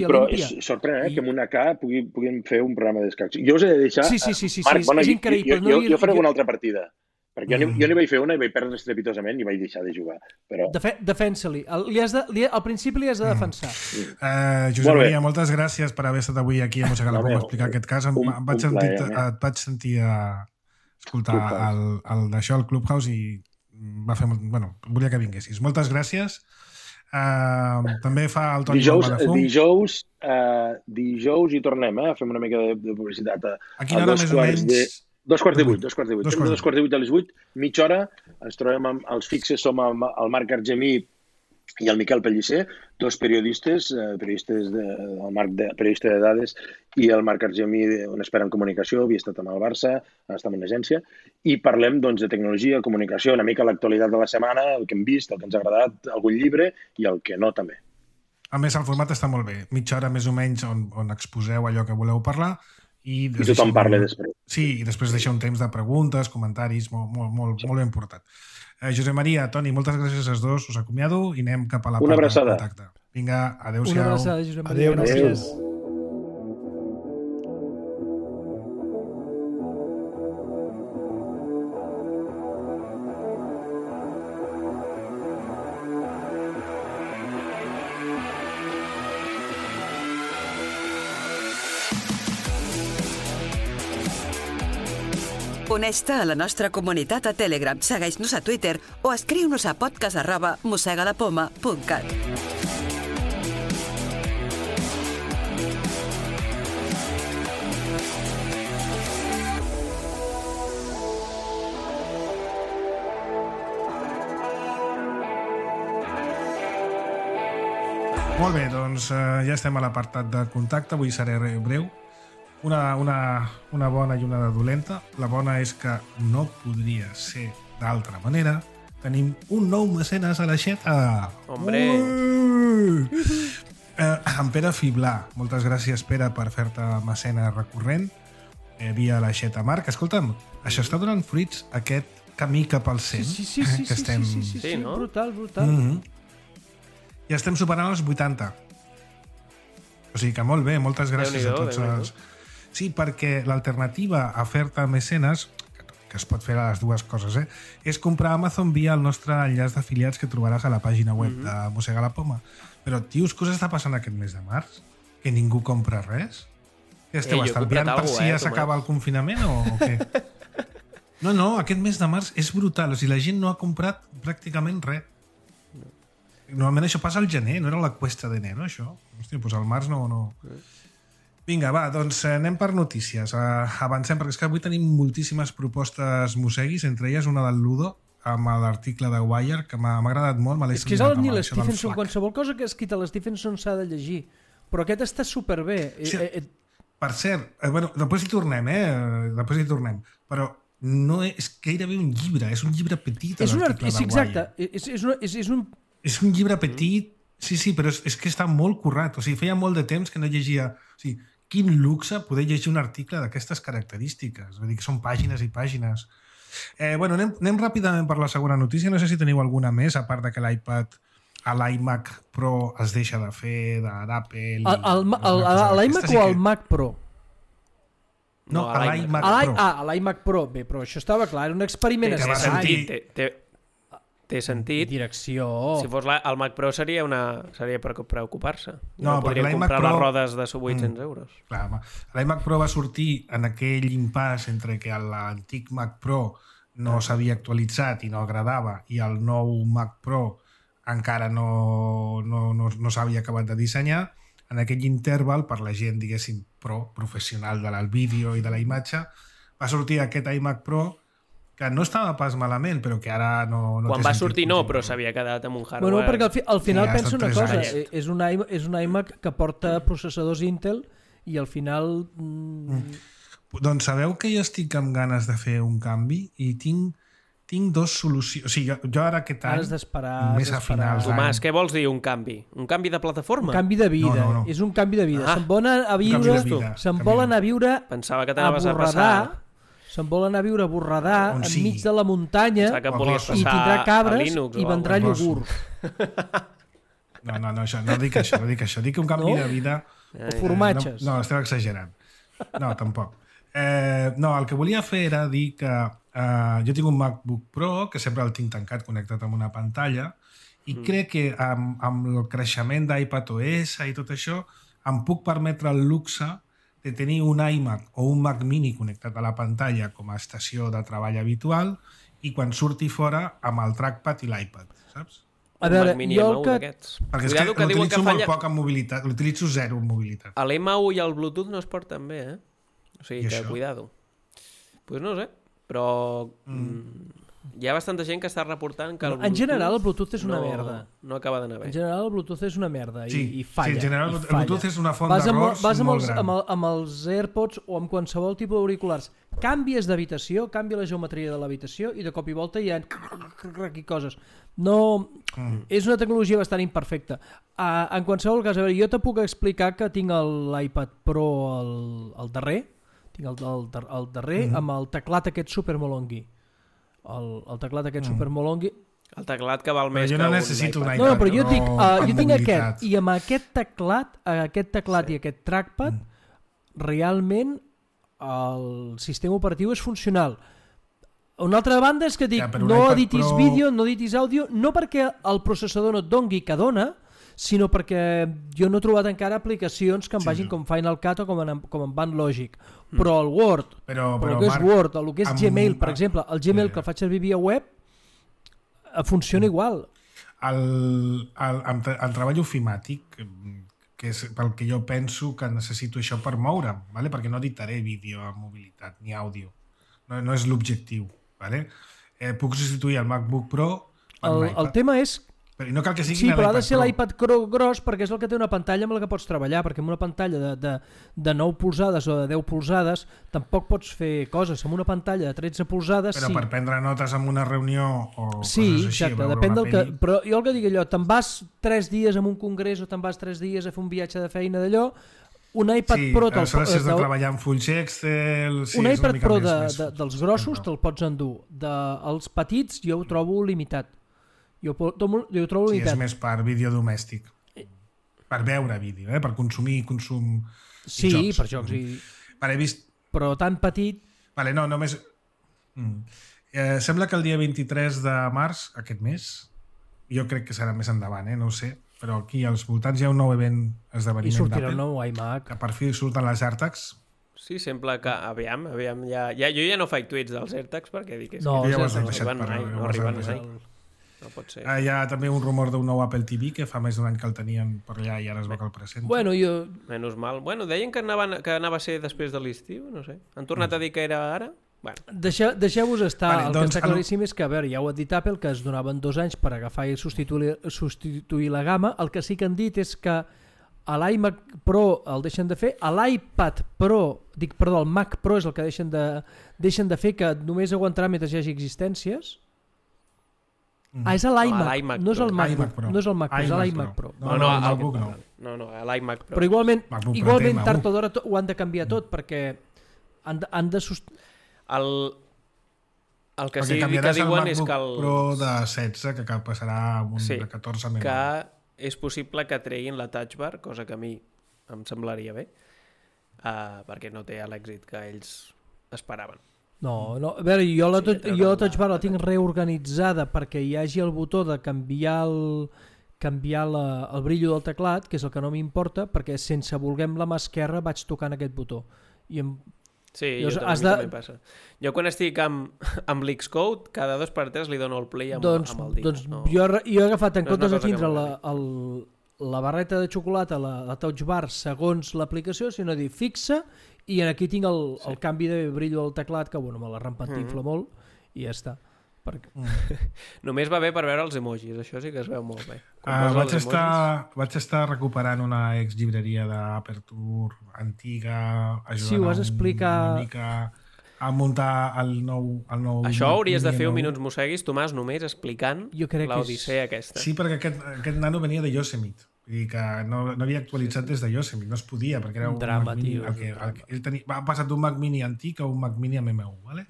però és sorprenent que amb una K puguin fer un programa d'escacs. Jo us he de deixar... Sí, Marc, és increïble. Jo faré una altra partida, perquè jo n'hi vaig fer una i vaig perdre estrepitosament i vaig deixar de jugar. Però... Defensa-li. Al principi li has de defensar. Josep Maria, moltes gràcies per haver estat avui aquí a Mossega la Poma a explicar aquest cas. Et vaig sentir escoltar el d'això al Clubhouse i va fer... volia que vinguessis. Moltes gràcies. També fa el Toni Bomba de Fum. Dijous hi tornem, fem una mica de publicitat. A quina hora més o menys? 2:15. Fem de 2:15 a les 8, mitja hora. Ens trobem els fixes, som el Marc Argemí i el Miquel Pellicer, dos periodistes, el Marc, periodista de dades, i el Marc Argemí, on espera en comunicació, havia estat amb el Barça, està en una agència, i parlem de tecnologia, comunicació, una mica l'actualitat de la setmana, el que hem vist, el que ens ha agradat, algun llibre, i el que no, també. A més, el format està molt bé. Mitja hora més o menys on exposeu allò que voleu parlar, i tothom parla després. Sí, i després deixa un temps de preguntes, comentaris, molt ben portat. Josep Maria, Toni, moltes gràcies als dos, us acomiado i anem cap a la part de contacte. Vinga, adéu-siau. Una abraçada, Josep Maria. Gràcies. Uneix-te a la nostra comunitat a Telegram, segueix-nos a Twitter o escriu-nos a podcast@mossegalapoma.cat. Molt bé, doncs ja estem a l'apartat de contacte, avui seré breu. Una bona i una dolenta. La bona és que no podria ser d'altra manera. Tenim un nou mecenes a l'aixeta. Hombre! En Pere Fiblà. Moltes gràcies, Pere, per fer-te mecenes recurrent via l'aixeta. Marc, escolta'm, això està donant fruits, aquest camí cap al 100. Sí, no? Brutal. Ja estem superant els 80. O sigui que molt bé, moltes gràcies a tots els... Sí, perquè l'alternativa a fer-te mecenes, que es pot fer a les dues coses, és comprar a Amazon via el nostre enllaç d'afiliats que trobaràs a la pàgina web de Mossega la Poma. Però, tios, què us està passant aquest mes de març? Que ningú compra res? Que esteu estalviant per si ja s'acaba el confinament o què? No, aquest mes de març és brutal. O sigui, la gent no ha comprat pràcticament res. Normalment això passa al gener, no era la cuesta d'enero, això? Hòstia, doncs al març no... Vinga, va, doncs anem per notícies. Avancem, perquè és que avui tenim moltíssimes propostes mosseguis, entre elles una del Ludo, amb l'article de Wire, que m'ha agradat molt. És que és el Neil Stephenson, qualsevol cosa que ha escrit a l'Stephenson s'ha de llegir. Però aquest està superbé. Sí, per cert, després hi tornem, però no és gairebé un llibre, és un llibre petit, l'article de Wire. Exacte, és un llibre petit, sí, però és que està molt currat. O sigui, feia molt de temps que no llegia... O sigui, quin luxe poder llegir un article d'aquestes característiques. Vull dir que són pàgines i pàgines. Anem ràpidament per la segona notícia. No sé si teniu alguna més, a part de que l'iMac Pro es deixa de fer, d'Apple... L'iMac o el Mac Pro? No, l'iMac Pro. L'iMac Pro. Bé, però això estava clar, era un experiment. Té sentit. Direcció. Si fos el Mac Pro seria per preocupar-se. No, perquè l'iMac comprar Pro... les rodes de 800 euros. Clar, l'iMac Pro va sortir en aquell impàs entre que l'antic Mac Pro no s'havia actualitzat i no agradava i el nou Mac Pro encara no s'havia acabat de dissenyar. En aquell interval, per la gent, diguéssim, professional del vídeo i de la imatge, va sortir aquest iMac Pro que no estava pas malament, però que ara no Quan va sortir no, però s'havia quedat amb un hardware... Bueno, perquè al final pensa una cosa, és un iMac que porta processadors Intel i al final... Doncs sabeu que jo estic amb ganes de fer un canvi i tinc dos solucions. O sigui, jo ara aquest any, més a finals d'any... Tomàs, què vols dir un canvi? Un canvi de plataforma? Un canvi de vida, no. És un canvi de vida. Se'n volen anar a viure Pensava que t'anaves a passar... Se'n vol anar a viure a Borredà, enmig de la muntanya, i tindrà cabres i vendrà iogurt. No, no dic això. Dic un canvi de vida... O formatges. No, esteu exagerant. No, tampoc. No, el que volia fer era dir que jo tinc un MacBook Pro, que sempre el tinc tancat, connectat amb una pantalla, i crec que amb el creixement d'iPadOS i tot això, em puc permetre el luxe de tenir un iMac o un Mac Mini connectat a la pantalla com a estació de treball habitual i quan surti fora amb el trackpad i l'iPad, saps? un Mac Mini M1 d'aquests. Perquè és que l'utilitzo molt poc en mobilitat, l'utilitzo zero en mobilitat. L'M1 i el Bluetooth no es porten bé, O sigui que, cuidado. Pues no sé, però hi ha bastanta gent que està reportant que el Bluetooth... En general, el Bluetooth és una merda. No acaba d'anar bé. En general, el Bluetooth és una merda i falla. Sí, en general, el Bluetooth és una font d'errors molt gran. Amb els AirPods o amb qualsevol tipus d'auriculars, canvies d'habitació, canvia la geometria de l'habitació i de cop i volta hi ha coses. No, és una tecnologia bastant imperfecta. En qualsevol cas, a veure, jo te puc explicar que tinc l'iPad Pro al darrer, el darrer amb el teclat aquest supermolongui. El teclat aquest supermolongui. El teclat que val més que un iPad. Jo no necessito un iPad. No, però jo tinc aquest, i amb aquest teclat i aquest trackpad, realment el sistema operatiu és funcional. Una altra banda és que dic, no editis vídeo, no editis àudio, no perquè el processador no et doni que dona, sinó perquè jo no he trobat encara aplicacions que em vagin com Final Cut o com en Bandlogic. Però el Word, però el que és Word, el que és Gmail, per exemple, el Gmail que el faig servir via web, funciona igual. El treball ofimàtic, que és pel que jo penso que necessito això per moure'm, perquè no editaré vídeo amb mobilitat ni àudio. No és l'objectiu. Puc substituir el MacBook Pro per l'iPad. El tema és... Però no cal que sigui sí, però ha de ser l'iPad gros perquè és el que té una pantalla amb la que pots treballar, perquè amb una pantalla de 9 polzades o de 10 polzades tampoc pots fer coses. Amb una pantalla de 13 polzades però per prendre notes en una reunió o sí, coses així, exacte, depèn del que... Però jo el que dic allò, te'n vas 3 dies a un congrés o te'n vas 3 dies a fer un viatge de feina d'allò, un iPad Pro... Sí, has de treballar amb fulls Excel... Un iPad Pro dels grossos te'l pots endur. Els petits jo ho trobo limitat. Jo ho trobo limitat. Sí, és més per vídeo domèstic. Per veure vídeo, per consumir consum... Sí, jocs. Per jocs. He vist... Però tan petit... Vale, no, només... Sembla que el dia 23 de març, aquest mes, jo crec que serà més endavant, no ho sé, però aquí als voltants hi ha un nou esdeveniment d'Apple. I sortirà el nou iMac. Que per fi surten les AirTags. Sí, sembla que... Aviam, jo ja no faig tuits dels AirTags perquè dic que no arriben mai. No pot ser. Hi ha també un rumor d'un nou Apple TV que fa més d'un any que el tenien per allà i ara es veu que el presenta. Bueno, Menys mal. Bueno, deien que anava a ser després de l'estiu, no sé. Han tornat a dir que era ara? Bueno. Deixeu-vos estar. Vale, el que està claríssim és que, a veure, ja ho ha dit Apple, que es donaven 2 anys per agafar i substituir la gamma. El que sí que han dit és que a l'iMac Pro el deixen de fer, a l'iPad Pro, el Mac Pro és el que deixen de fer, que només aguantarà mentre hi hagi existències. És a l'iMac, no és el MacBook Pro. No és el Mac Pro, és a l'iMac Pro. No, el MacBook no. No, a l'iMac Pro. Però igualment tard o d'hora ho han de canviar tot, perquè han de... El que sí que diuen és que el MacBook Pro de 16 que passarà a un de 14 menys. Que és possible que treguin la Touch Bar, cosa que a mi em semblaria bé, perquè no té l'èxit que ells esperaven. No, a veure, jo la Touch Bar la tinc reorganitzada perquè hi hagi el botó de canviar el brillo del teclat, que és el que no m'importa, perquè sense voler amb la mà esquerra vaig tocant aquest botó. Sí, també passa. Jo quan estic amb l'Xcode, cada 2x3 li dono el play amb el dit. Doncs jo he agafat, en comptes de tindre la barreta de xocolata, la Touch Bar, segons l'aplicació, sinó dir fixa, i aquí tinc el canvi de brillo del teclat, que bueno, me la rampantifla molt, i ja està. Només va bé per veure els emojis, això sí que es veu molt bé. Vaig estar recuperant una exllibreria d'Aperture antiga, ajudant ho has explicat... una mica a muntar el nou... Això hauries de fer un Minuts Mosseguis, Tomàs, només explicant l'odissea aquesta. Sí, perquè aquest nano venia de Yosemite. Vull dir que no havia actualitzat des de Yosemite, no es podia, perquè era un drama, Mac Mini. Ell va passar d'un Mac Mini antic a un Mac Mini amb M1, ¿vale?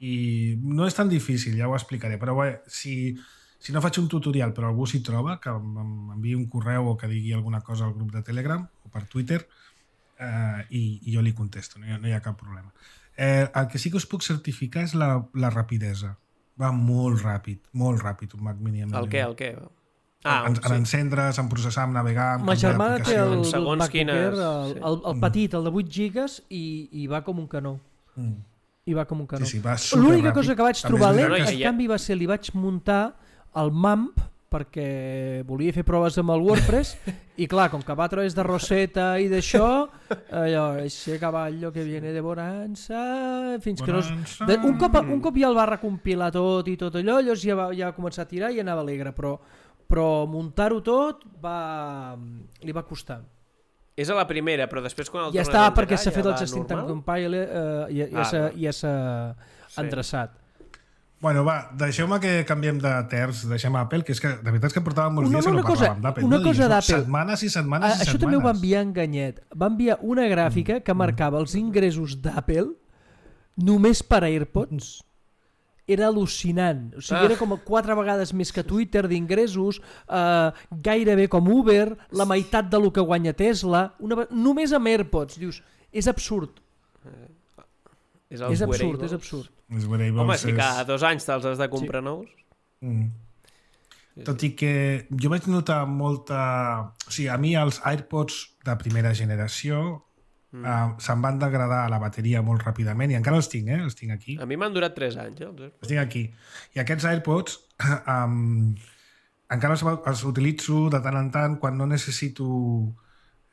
I no és tan difícil, ja ho explicaré, però bé, si no faig un tutorial però algú s'hi troba, que m'enviï un correu o que digui alguna cosa al grup de Telegram o per Twitter, i jo li contesto, no hi ha cap problema. El que sí que us puc certificar és la rapidesa. Va molt ràpid un Mac Mini. El què? En encendre's, en processar, en navegar, en ma germana té el MacBook Air, el petit, el de 8 gigas, i va com un canó. I va com un canó. Sí, l'única cosa que vaig trobar lent, en canvi, va ser li vaig muntar el MAMP perquè volia fer proves amb el WordPress i clar, com que va a través de Rosetta i d'això, allò, ese caballo que viene de Bonanza, fins que no... Un cop ja el va recompilar tot i tot allò, llavors ja va començar a tirar i anava alegre, però muntar-ho tot li va costar. És a la primera, però després quan el ja està, perquè s'ha fet el Justin Time Compile ja s'ha endreçat. Bueno, va, deixeu-me que canviem de terç, deixem Apple, que és que de veritat és que portàvem molts dies que no parlàvem d'Apple. Una cosa d'Apple. Setmanes i setmanes i setmanes. Això també ho va enviar enganyet. Va enviar una gràfica que marcava els ingressos d'Apple només per AirPods. Era al·lucinant. O sigui, era com 4 vegades més que Twitter d'ingressos, gairebé com Uber, la meitat del que guanya Tesla, només amb AirPods. Dius, és absurd. És absurd. Home, si cada 2 anys te'ls has de comprar nous. Tot i que jo vaig notar molta... O sigui, a mi els AirPods de primera generació se'm van degradar a la bateria molt ràpidament i encara els tinc, els tinc aquí. A mi m'han durat 3 anys. Els tinc aquí. I aquests AirPods encara els utilitzo de tant en tant quan no necessito...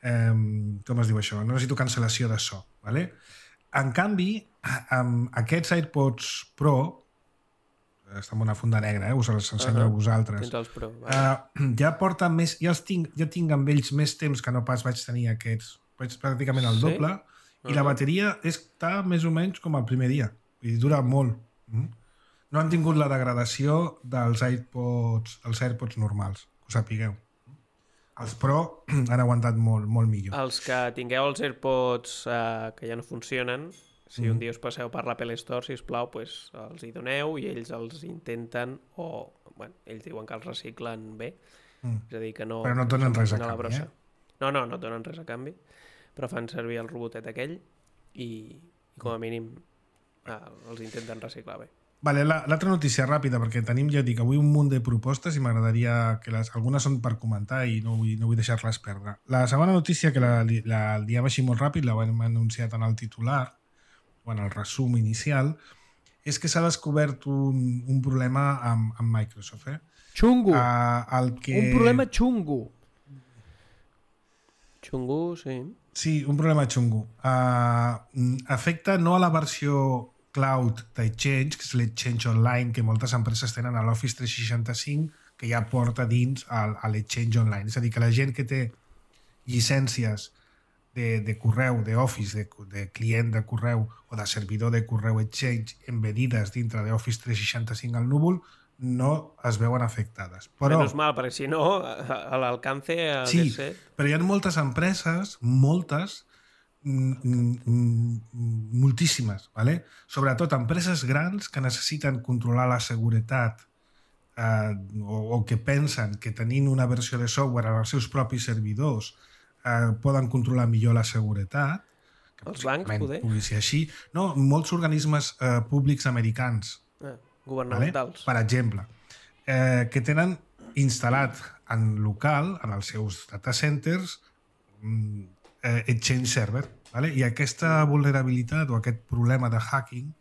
com es diu això? No necessito cancel·lació de so. Vale? En canvi, amb aquests AirPods Pro, està en una funda negra, us els ensenyo a vosaltres, Pro, ja porten més, ja tinc amb ells més temps que no pas vaig tenir aquests, vaig pràcticament el doble, i la bateria està més o menys com el primer dia, i dura molt. No han tingut la degradació dels AirPods normals, que ho sapigueu. Els Pro han aguantat molt millor. Els que tingueu els AirPods que ja no funcionen, si un dia us passeu per l'Apple Store, sisplau, pues, els hi doneu i ells els intenten, o ells diuen que els reciclen bé, és a dir, que no... Però no et donen res a canvi, No et donen res a canvi, però fan servir el robotet aquell i com a mínim els intenten reciclar bé. Vale, l'altra notícia ràpida, perquè tenim, ja dic, avui un munt de propostes i m'agradaria que algunes són per comentar i no vull deixar-les perdre. La segona notícia, que la diem així molt ràpid, la hem anunciat en el titular, o en el resum inicial, és que s'ha descobert un problema amb Microsoft. Xungo. Un problema xungo. Xungo, sí. Sí, un problema xungo. Afecta no a la versió cloud d'Exchange, que és l'Exchange Online, que moltes empreses tenen a l'Office 365, que ja porta dins a l'Exchange Online. És a dir, que la gent que té llicències de correu, d'Office, de client de correu o de servidor de correu Exchange embedides dintre d'Office 365 al núvol, no es veuen afectades. Però, menys mal, perquè si no, a l'alcance... Sí, però hi ha moltes empreses, moltíssimes, ¿vale? Sobretot empreses grans que necessiten controlar la seguretat o que pensen que tenint una versió de software als seus propis servidors poden controlar millor la seguretat. Els bancs, poder? Pugui ser així. No, molts organismes públics americans, governamentals, per exemple, que tenen instal·lat en local, en els seus data centers, Exchange Server, ¿vale? I aquesta vulnerabilitat o aquest problema de hacking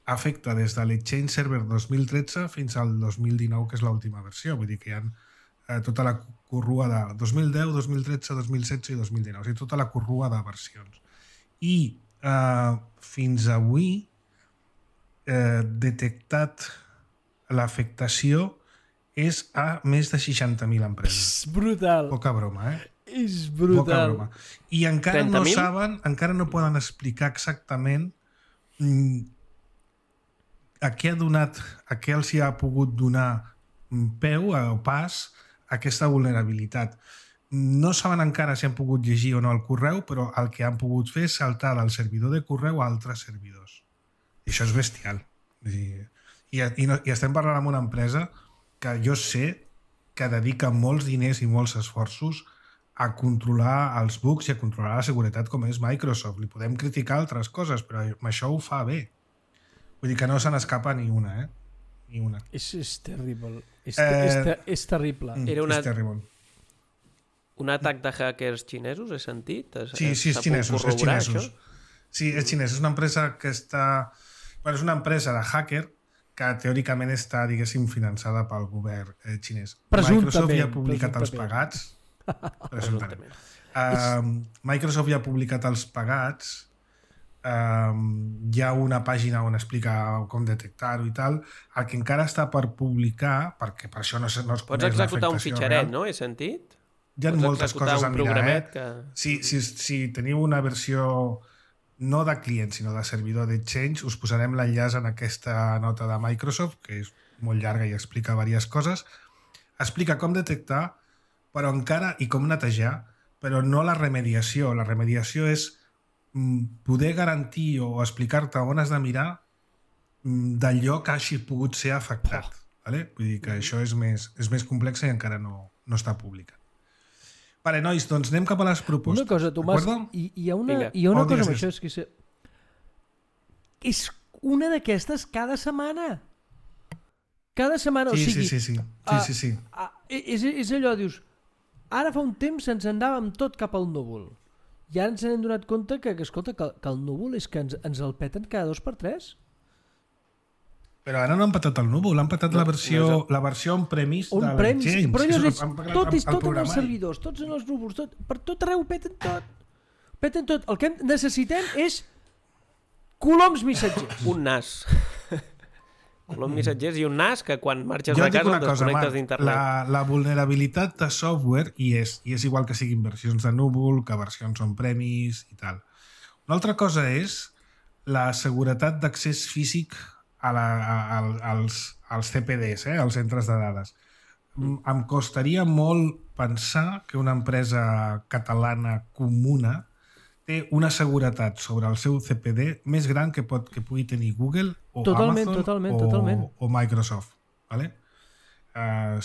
afecta des de l'Exchange Server 2013 fins al 2019, que és l'última versió. Vull dir que hi ha tota la corrua de 2010, 2013, 2016 i 2019. O sigui, tota la corrua de versions. I fins avui detectat l'afectació és a més de 60.000 empreses. Brutal. Poca broma, És brutal. I encara no saben, encara no poden explicar exactament a què els hi ha pogut donar peu o pas a aquesta vulnerabilitat. No saben encara si han pogut llegir o no el correu, però el que han pogut fer és saltar del servidor de correu a altres servidors. I això és bestial. I estem parlant amb una empresa que jo sé que dedica molts diners i molts esforços a controlar els bugs i a controlar la seguretat com és Microsoft. Li podem criticar altres coses, però amb això ho fa bé. Vull dir que no se n'escapa ni una, Ni una. És terrible. És terrible. És terrible. Un atac de hackers xinesos, he sentit? Sí, és xinesos. Sí, és xinès. És una empresa que està... Bueno, és una empresa de hacker que teòricament està, diguéssim, finançada pel govern xinès. Presumptament. Microsoft ja ha publicat els pagats. Presumptament. Microsoft ja ha publicat els pagats. Hi ha una pàgina on explica com detectar-ho i tal. El que encara està per publicar, perquè per això no es coneix pots executar un fitxaret, real. no? He sentit? Hi ha moltes coses a mirar, que... Si teniu una versió no de client, sinó de servidor d'Exchange, us posarem l'enllaç en aquesta nota de Microsoft, que és molt llarga i explica diverses coses. Explica com detectar, però encara, i com netejar, però no la remediació. La remediació és poder garantir o explicar-te on has de mirar d'allò que hagi pogut ser afectat. Vale? Vull dir que això és més complex i encara no està publicat. Vale, nois, doncs anem cap a les propostes. Una cosa, Tomàs, hi ha una cosa amb això, és que és una d'aquestes cada setmana. Cada setmana, sí, o sigui... Sí. És allò, dius, ara fa un temps ens anàvem tot cap al núvol. I ara ens hem donat compte que escolta, que el núvol és que ens el peten cada 2x3. Però ara no han patat el núvol, han patat la versió on-premise de l'Exchange. Però llavors tot en els servidors, tots en els núvols, per tot arreu peten tot. Peten tot. El que necessitem és coloms missatgers. Un NAS. Coloms missatgers i un NAS que quan marxes de casa el desconnectes d'internet. La vulnerabilitat de software i és igual que siguin versions de núvol, que versions on-premise i tal. Una altra cosa és la seguretat d'accés físic als CPDs, als centres de dades. Em costaria molt pensar que una empresa catalana comuna té una seguretat sobre el seu CPD més gran que pugui tenir Google o Amazon o Microsoft. Vale?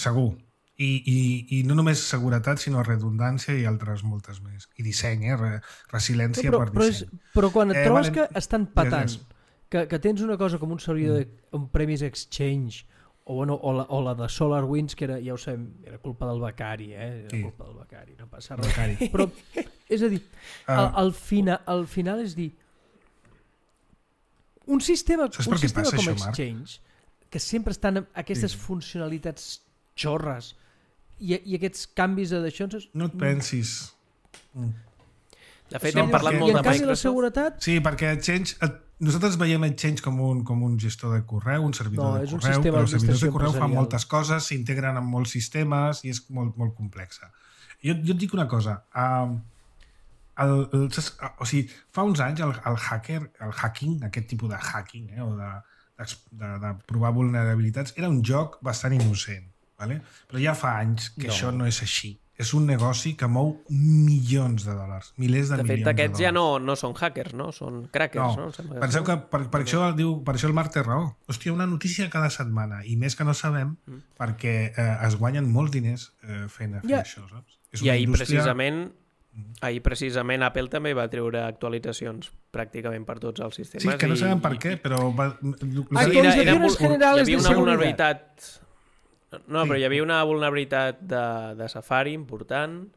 Segur. I no només seguretat, sinó redundància i altres moltes més. I disseny, resiliència per disseny. Però quan et trobes que estan patant, que tens una cosa com un servidor on-premise Exchange o la de SolarWinds, que era, ja ho sabem, era culpa del becari, Era culpa del becari, no passa res. Però, és a dir, al final és dir, un sistema com Exchange, que sempre estan amb aquestes funcionalitats xorres i aquests canvis d'això... No et pensis. De fet, hem parlat molt de Microsoft. La seguretat... Sí, perquè Exchange... Nosaltres veiem Exchange com un gestor de correu, un servidor de correu, però els servidors de correu fan moltes coses, s'integren en molts sistemes i és molt, molt complexa. Jo et dic una cosa. Fa uns anys el hacking, aquest tipus de hacking, o de provar vulnerabilitats, era un joc bastant innocent. Vale? Però ja fa anys que això no és així. És un negoci que mou milions de dòlars, milers de milions de dòlars. De fet, aquests ja no són hackers, no? Són crackers, no? Penseu que per això el Marc té raó. Hòstia, una notícia cada setmana, i més que no sabem, perquè es guanyen molts diners fent això, saps? I ahir precisament Apple també va treure actualitzacions pràcticament per tots els sistemes. Sí, que no sabem per què, però... Hi havia una vulnerabilitat... No, però hi havia una vulnerabilitat de Safari important.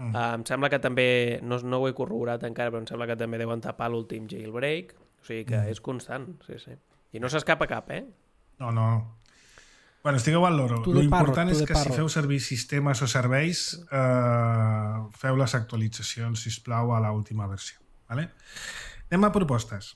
Em sembla que també, no ho he corroborat encara, però em sembla que també deuen tapar l'últim jailbreak. O sigui que és constant, sí. I no s'escapa cap, No. Bueno, estigueu al loro. L'important és que si feu servir sistemes o serveis, feu les actualitzacions, sisplau, a l'última versió. Vale? Anem a propostes.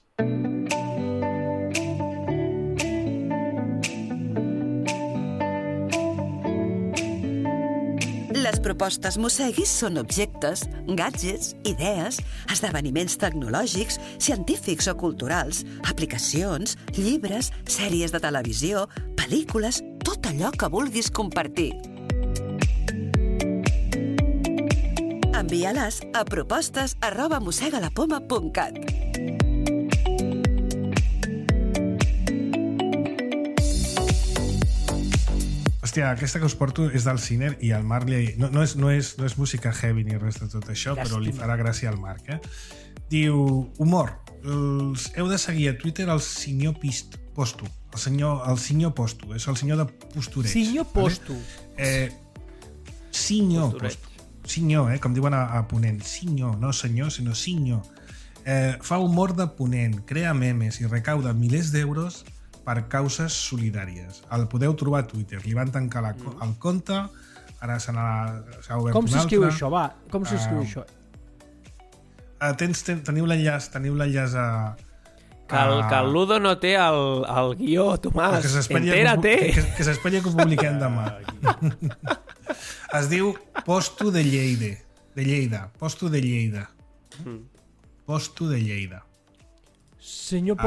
Les propostes Mosseguis són objectes, gadgets, idees, esdeveniments tecnològics, científics o culturals, aplicacions, llibres, sèries de televisió, pel·lícules, tot allò que vulguis compartir. Envia-les a propostes@mossegalapoma.cat. Hòstia, aquesta que us porto és del Ciner i el Marc no és música heavy ni res de tot això, però li farà gràcia al Marc. Diu, humor, heu de seguir a Twitter el senyor Posto. El senyor Posto, és el senyor de postureig. Senyor Posto. Senyor Posto. Senyor, com diuen a Ponent. Senyor, no senyor, sinó senyor. Fa humor de Ponent, crea memes i recauda milers d'euros per causes solidàries. El podeu trobar a Twitter. Li van tancar el compte, ara s'ha obert un altre. Com s'escriu això, va? Com s'escriu això? Teniu l'enllaç a... Que el Ludo no té el guió, Tomàs. Entera-te! Que s'esperi que ho publiquem demà. Es diu Posto de Lleida. Posto de Lleida. Posto de Lleida. Senyor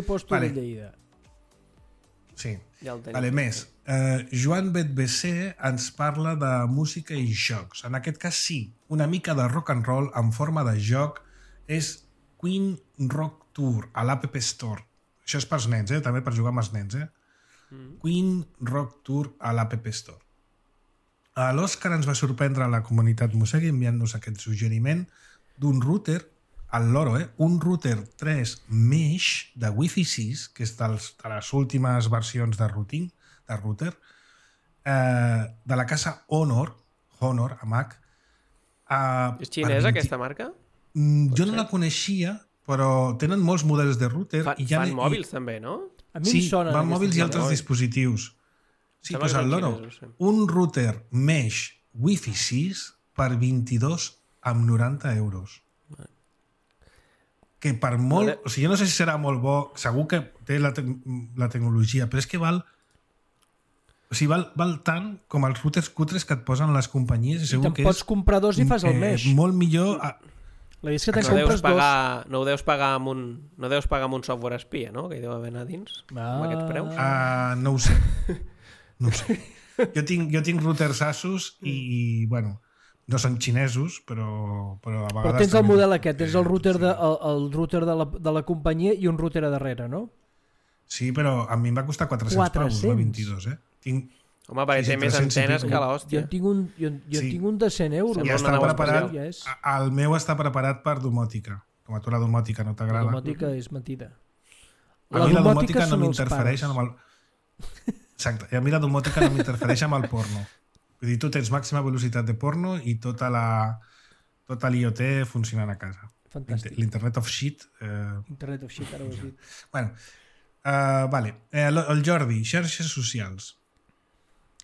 Posto de Lleida. Sí. Més. Joan Betbesser ens parla de música i jocs. En aquest cas sí, una mica de rock and roll en forma de joc és Queen Rock Tour a l'App Store. Això és pels nens, també per jugar amb els nens. Queen Rock Tour a l'App Store. L'Òscar ens va sorprendre a la comunitat Mosegui enviant-nos aquest suggeriment d'un router, el Loro, un router 3 Mesh de Wi-Fi 6, que és de les últimes versions de router, de la casa Honor, amb H. És xinesa aquesta marca? Jo no la coneixia, però tenen molts models de router. Fan mòbils també, no? Sí, fan mòbils i altres dispositius. Sí, doncs el Loro. Un router Mesh Wi-Fi 6 per 22,90 €. Que per molt... O sigui, jo no sé si serà molt bo, segur que té la tecnologia, però és que val tant com els routers cutres que et posen les companyies. I te'n pots comprar dos i fas el Mesh. Molt millor... La és que te'n compres dos. No ho deus pagar amb un software espia, no? Que hi deu haver anar dins, amb aquests preus. No ho sé. No ho sé. Jo tinc routers Asus i bueno, no són xinesos, però a vegades... Però tens el model aquest, tens el router de la companyia i un router a darrere, no? Sí, però a mi em va costar 400 paus, no 22, Home, perquè té més antenes que l'hòstia. Jo tinc un de 100 €. Ja està preparat, el meu està preparat per domòtica. Com a tu la domòtica no t'agrada. La domòtica és mentida. A mi la domòtica no m'interfereix amb el... Exacte, i a mi la domòtica no m'interfereix amb el porno. Vull dir, tu tens màxima velocitat de porno i tota l'IoT funcionant a casa. Fantàstic. L'Internet of Shit... Internet of Shit, ara ho has dit. Bueno, vale. El Jordi, xarxes socials.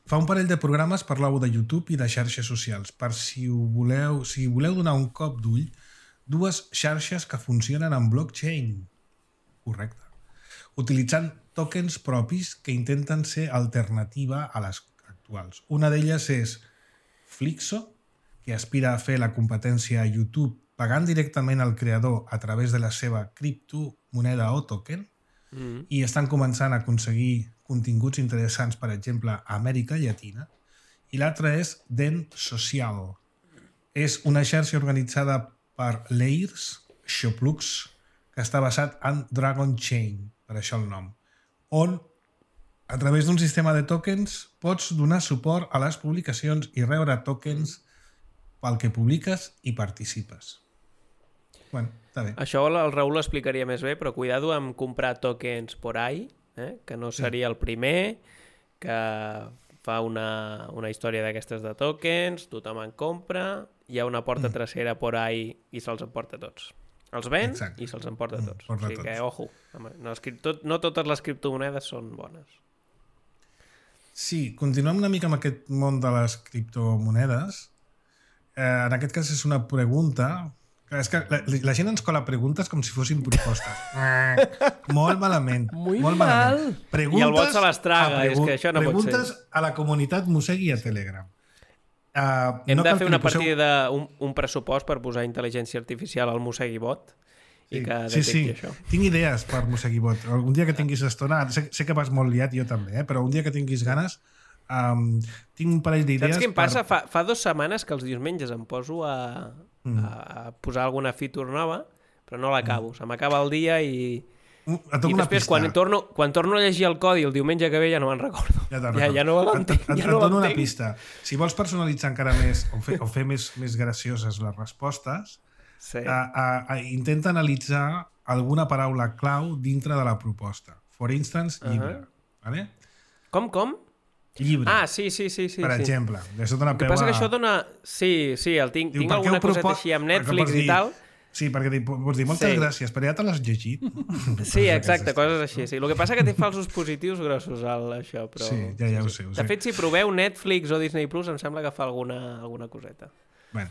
Fa un parell de programes parlàveu de YouTube i de xarxes socials. Per si voleu donar un cop d'ull, dues xarxes que funcionen en blockchain. Correcte. Utilitzant tokens propis que intenten ser alternativa a les actuals. Una d'elles és Flixo, que aspira a fer la competència a YouTube pagant directament al creador a través de la seva criptomoneda o token, i estan començant a aconseguir continguts interessants, per exemple, a Amèrica Llatina. I l'altra és Dent Social. És una xarxa organitzada per Layers, Xoplux, que està basat en Dragon Chain, per això el nom, on a través d'un sistema de tokens pots donar suport a les publicacions i rebre tokens pel que publiques i participes. Bueno, està bé. Això el Raül ho explicaria més bé, però cuidado amb comprar tokens por ahí, que no seria el primer que fa una història d'aquestes de tokens, tothom en compra, hi ha una porta trasera por ahí i se'ls emporta tots. Els ven i se'ls emporta tots. O sigui que, ojo, no totes les criptomonedes són bones. Sí, continuem una mica amb aquest món de les criptomonedes. En aquest cas és una pregunta... És que la gent ens cola preguntes com si fossin propostes. Molt malament. Molt mal. I el bot se les traga, és que això no pot ser. Preguntes a la comunitat Mosegui a Telegram. Hem de fer una partida d'un pressupost per posar intel·ligència artificial al Mosegui bot i que detecti això. Tinc idees per Mosegui bot. Un dia que tinguis estona, sé que vas molt liat, jo també, però un dia que tinguis ganes, tinc un parell d'idees. Saps què em passa? Fa 2 setmanes que els diumenges em poso a posar alguna feature nova, però no l'acabo. Se m'acaba el dia i després quan torno a llegir el codi el diumenge que ve ja no me'n recordo. Ja no l'entenc. Et dono una pista. Si vols personalitzar encara més o fer més gracioses les respostes, intenta analitzar alguna paraula clau dintre de la proposta. For instance, llibre. Vale? Com? Llibre. Sí. Per exemple. El que passa que això dona... Sí, tinc alguna coseta així amb Netflix i tal, Sí, perquè pots dir moltes gràcies, però ja te l'has llegit. Sí, exacte, coses així. Sí. El que passa que té falsos positius grossos, això. Però... Sí, ja ho sé. De fet, si proveu Netflix o Disney Plus, em sembla que fa alguna coseta. Bueno,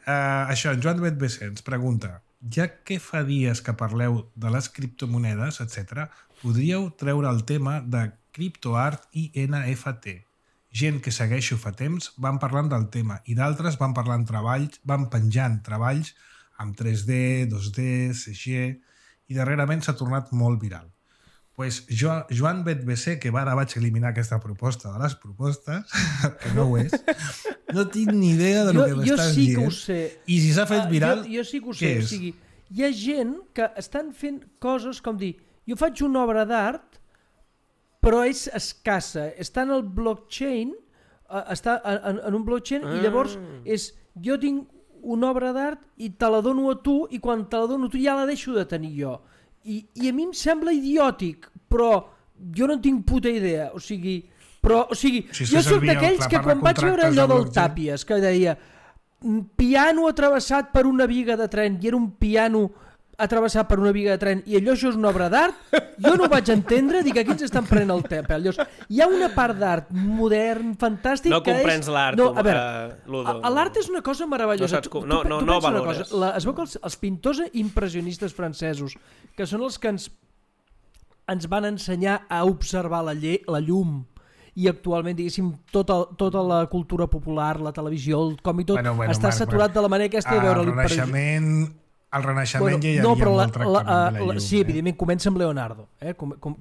això, en Joan Betbc ens pregunta, ja que fa dies que parleu de les criptomonedes, etc., podríeu treure el tema de criptoart i NFT. Gent que segueixo fa temps van parlant del tema i d'altres van penjant treballs amb 3D, 2D, CG, i darrerament s'ha tornat molt viral. Pues Joan Betbc, que ara vaig eliminar aquesta proposta de les propostes, que no ho és, no tinc ni idea de lo que m'estàs dient. Jo sí que ho sé. I si s'ha fet viral, jo sí que ho sé. O sigui, hi ha gent que estan fent coses com dir, jo faig una obra d'art, però és escassa. Està en el blockchain, està en un blockchain i llavors jo tinc una obra d'art i te la dono a tu i quan te la dono a tu ja la deixo de tenir jo. I a mi em sembla idiòtic, però jo no tinc puta idea. O sigui, jo soc d'aquells que quan vaig veure allò del Tàpies, que deia piano atravessat per una viga de tren i era un piano atravessat per una viga de tren i allò això és una obra d'art, jo no ho vaig entendre, dic, aquí ens estan prenent el pèl. Hi ha una part d'art modern, fantàstic, no que és... No comprens l'art, Ludo. L'art és una cosa meravellosa. No valores. Es veu que els pintors impressionistes francesos, que són els que ens van ensenyar a observar la llum, i actualment, diguéssim, tota la cultura popular, la televisió, el còmic, tot està saturat de la manera aquesta de veure l'impressionisme. Al Renaixement ja hi havia molt tractament de la llum. Sí, evidentment, comença amb Leonardo.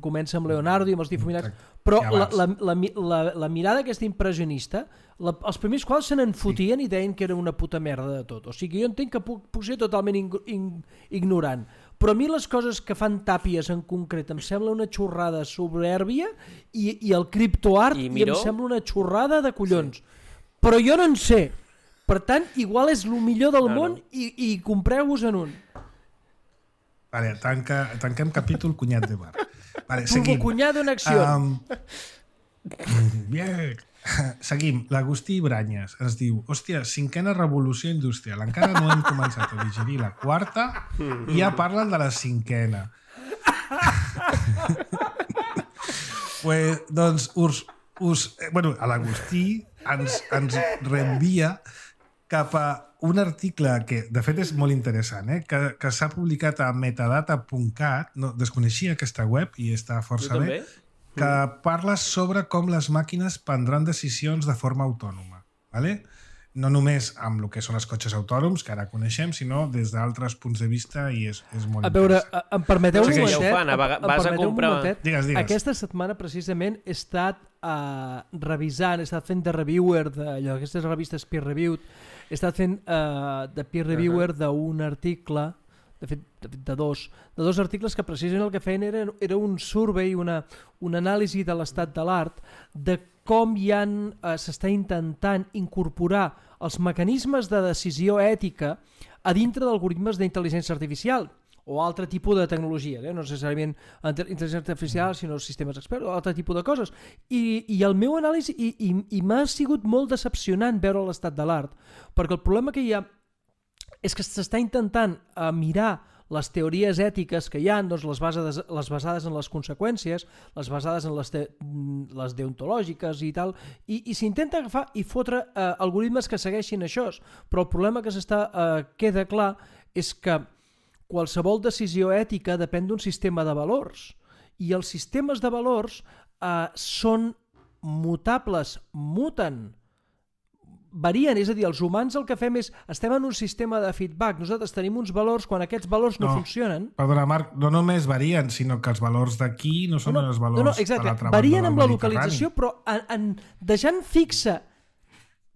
Comença amb Leonardo i amb els difuminats. Però la mirada aquesta impressionista, els primers quals se n'enfotien i deien que era una puta merda de tot. O sigui, jo entenc que puc ser totalment ignorant. Però a mi les coses que fan Tàpies en concret em sembla una xorrada soberbia i el criptoart em sembla una xorrada de collons. Però jo no en sé. Per tant, igual és el millor del món i compreu-vos en un. Vale, tanquem capítol cunyat de bar. Vale, seguim. Cunyado en acció. Seguim. L'Agustí Branyes ens diu, hòstia, 5a revolució industrial. Encara no hem començat a digerir la 4ª i ja parlen de la 5a. Pues, doncs, l'Agustí ens reenvia cap a un article que, de fet, és molt interessant, que s'ha publicat a metadata.cat, no, desconeixia aquesta web i està força bé, que parla sobre com les màquines prendran decisions de forma autònoma. ¿Vale? No només amb el que són els cotxes autònoms, que ara coneixem, sinó des d'altres punts de vista i és molt interessant. A veure, em permeteu un momentet? Digues. Aquesta setmana, precisament, he estat revisant, he estat fent de reviewer d'aquestes revistes peer-reviewed, he estat fent de peer-reviewer d'un article, de fet de dos articles que precisament el que feien era un survey, una anàlisi de l'estat de l'art, de com s'està intentant incorporar els mecanismes de decisió ètica a dintre d'algoritmes d'intel·ligència artificial o altre tipus de tecnologia, no necessàriament intel·ligència artificial, sinó sistemes experts o altre tipus de coses. I el meu anàlisi, i m'ha sigut molt decepcionant veure l'estat de l'art, perquè el problema que hi ha és que s'està intentant mirar les teories ètiques que hi ha, doncs les basades en les conseqüències, les basades en les deontològiques i tal, i s'intenta agafar i fotre algoritmes que segueixin això, però el problema que queda clar és que qualsevol decisió ètica depèn d'un sistema de valors, i els sistemes de valors són mutables, muten, varien, és a dir, els humans el que fem és, estem en un sistema de feedback, nosaltres tenim uns valors, quan aquests valors no funcionen... Perdona, Marc, no només varien, sinó que els valors d'aquí no són els valors exacte, de l'altra banda varien amb la localització, però deixant fixa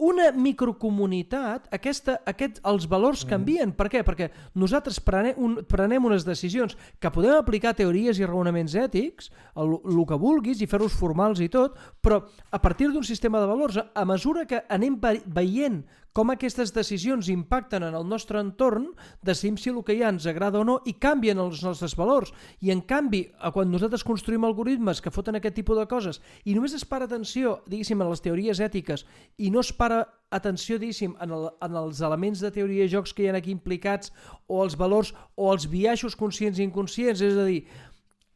una microcomunitat, els valors canvien. Per què? Perquè nosaltres prenem unes decisions que podem aplicar teories i raonaments ètics, el que vulguis, i fer-los formals i tot, però a partir d'un sistema de valors, a mesura que anem veient com aquestes decisions impacten en el nostre entorn, decidim si el que hi ha ens agrada o no i canvien els nostres valors. I en canvi, quan nosaltres construïm algoritmes que foten aquest tipus de coses i només es para atenció, diguéssim, a les teories ètiques i no es para atenció, diguéssim, en els elements de teoria de jocs que hi ha aquí implicats o els valors o els biaixos conscients i inconscients, és a dir,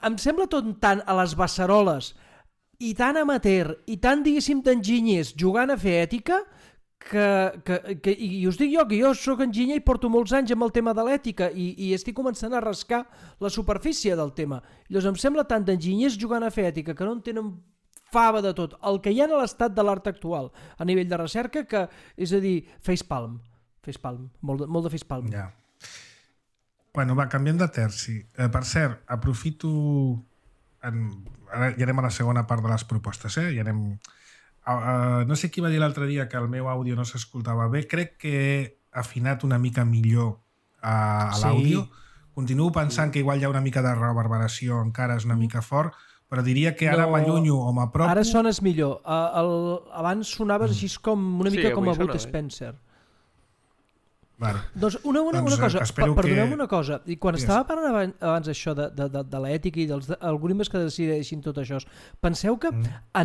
em sembla tot tant a les beceroles i tan amateur i tan, diguéssim, d'enginyers jugant a fer ètica i us dic jo que jo soc enginyer i porto molts anys amb el tema de l'ètica i estic començant a rascar la superfície del tema. Llavors em sembla tant d'enginyers jugant a fer ètica que no en tenen fava de tot, el que hi ha a l'estat de l'art actual a nivell de recerca, que és a dir, facepalm, molt de facepalm. Ja. Bueno, va, canviem de terci. Per cert, aprofito... Ara ja anem a la segona part de les propostes, ja anem... no sé qui va dir l'altre dia que el meu àudio no s'escoltava bé. Crec que he afinat una mica millor a l'àudio. Continuo pensant que igual hi ha una mica de reverberació, encara és una mica fort, però diria que ara m'allunyo o m'apropo... Ara sones millor. Abans sonaves així com una mica com a Bud Spencer. Vale. Doncs una cosa, perdoneu-me una cosa, i quan estava parlant abans això de l'ètica i dels algoritmes que decideixin tot això, penseu que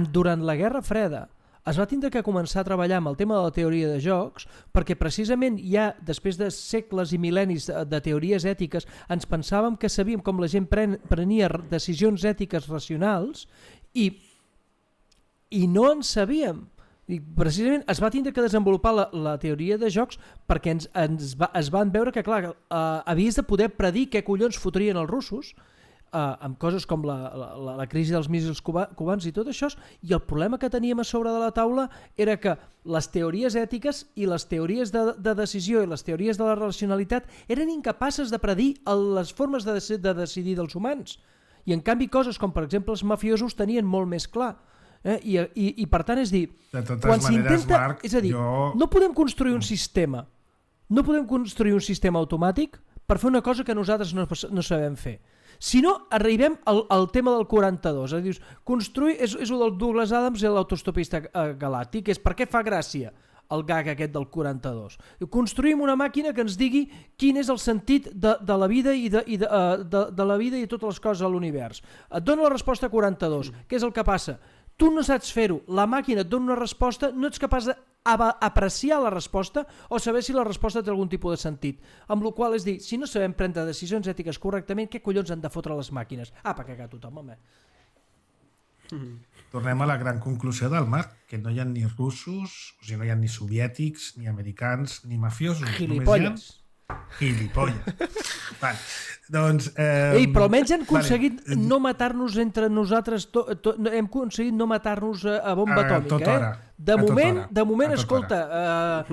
durant la Guerra Freda es va tindre que començar a treballar amb el tema de la teoria de jocs perquè precisament ja després de segles i mil·lennis de teories ètiques ens pensàvem que sabíem com la gent prenia decisions ètiques racionals i no en sabíem. I precisament es va tindre que desenvolupar la teoria de jocs perquè es van veure que, clar, havies de poder predir què collons fotrien els russos amb coses com la crisi dels míssils cubans i tot això, i el problema que teníem a sobre de la taula era que les teories ètiques i les teories de decisió i les teories de la racionalitat eren incapaces de predir les formes de decidir dels humans. I en canvi coses com, per exemple, els mafiosos tenien molt més clar. I per tant, és dir, quan s'intenta, és a dir, no podem construir un sistema, automàtic per fer una cosa que nosaltres no sabem fer. Si no, arribem al tema del 42, és a dir, construir, és el del Douglas Adams i l'autostopista galàctic, és per què fa gràcia el gag aquest del 42. Construïm una màquina que ens digui quin és el sentit de la vida i de la vida i totes les coses a l'univers. Et dona la resposta 42. Què és el que passa? Tu no saps fer-ho, la màquina et dona una resposta, no ets capaç d'apreciar la resposta o saber si la resposta té algun tipus de sentit. Amb la qual és dir, si no sabem prendre decisions ètiques correctament, què collons han de fotre les màquines? Per cagar tothom, home. Tornem a la gran conclusió del Marc, que no hi ha ni russos, o sigui, no hi ha ni soviètics, ni americans, ni mafiosos. Gilipolles. Vale. Doncs, però almenys hem aconseguit no matar-nos entre nosaltres, hem aconseguit no matar-nos a bomba atòmica. De moment, escolta,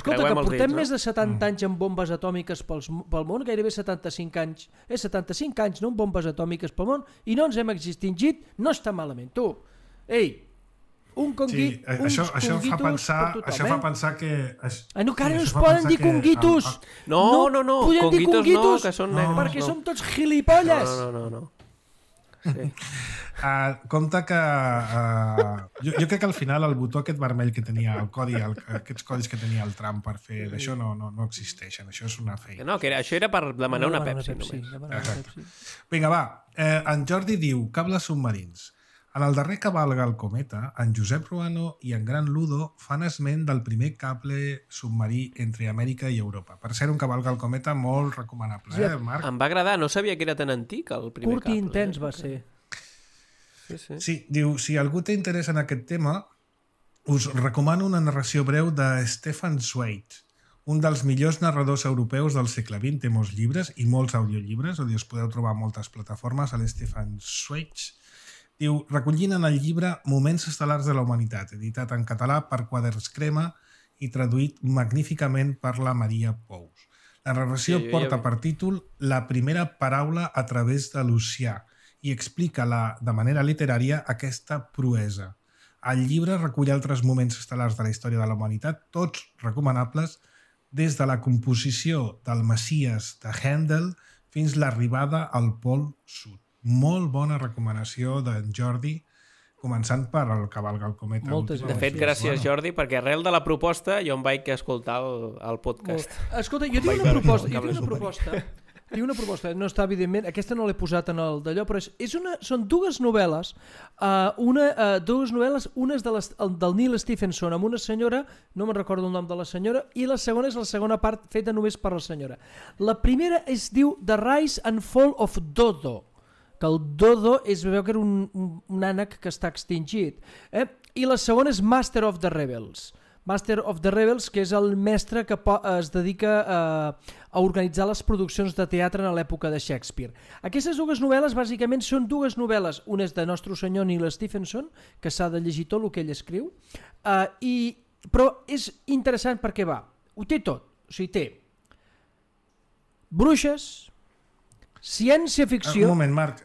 que portem més de 70 anys amb bombes atòmiques pel món, gairebé 75 anys, 75 anys, no, amb bombes atòmiques pel món, i no ens hem extingit, no està malament, tu. Això fa pensar que... No, que ara no es poden dir conguitos. No, conguitos no, que són negres. Perquè som tots gilipolles. No. Sí. Compte que jo crec que al final el botó aquest vermell que tenia el codi, aquests codis que tenia el Trump per fer d'això no existeixen, això és una feina. No, que això era per demanar una Pepsi només. Vinga, va, en Jordi diu cables submarins. En el darrer Cavalga el cometa, en Josep Ruano i en Gran Ludo fan esment del primer cable submarí entre Amèrica i Europa. Per ser un Cavalga el cometa molt recomanable, Marc? Em va agradar, no sabia que era tan antic el primer cable. Curt i intens va ser. Sí, diu, si algú té interès en aquest tema, us recomano una narració breu de Stefan Zweig, un dels millors narradors europeus del segle XX. Té molts llibres i molts audiollibres, us podeu trobar a moltes plataformes, a l'Stefan Zweig. Diu, recollint en el llibre Moments estel·lars de la humanitat, editat en català per Quaderns Crema i traduït magníficament per la Maria Pous. La narració porta per títol La primera paraula a través de l'oceà i explica de manera literària aquesta proesa. El llibre recull altres moments estel·lars de la història de la humanitat, tots recomanables, des de la composició del Messies de Handel fins l'arribada al Pol Sud. Molt bona recomanació d'en Jordi. començant per el Cavalca el Cometa. De fet, gràcies, Jordi, perquè arrel de la proposta jo em vaig escoltar el podcast. Escolta, jo tinc una proposta, no està evidentment, aquesta no l'he posat en el d'allò, però són dues novel·les, una és del Neil Stephenson amb una senyora, no me'n recordo el nom de la senyora, i la segona és la segona part feta només per la senyora. La primera es diu The Rise and Fall of Dodo, que el Dodo veu que era un ànec que està extingit, i la segona és Master of the Rebels, que és el mestre que es dedica a organitzar les produccions de teatre en l'època de Shakespeare. Aquestes dues novel·les bàsicament són dues novel·les, una és de Nostre Senyor Neil Stephenson, que s'ha de llegir tot el que ell escriu, però és interessant perquè ho té tot, o sigui, té bruixes, ciència-ficció... Un moment, Marc,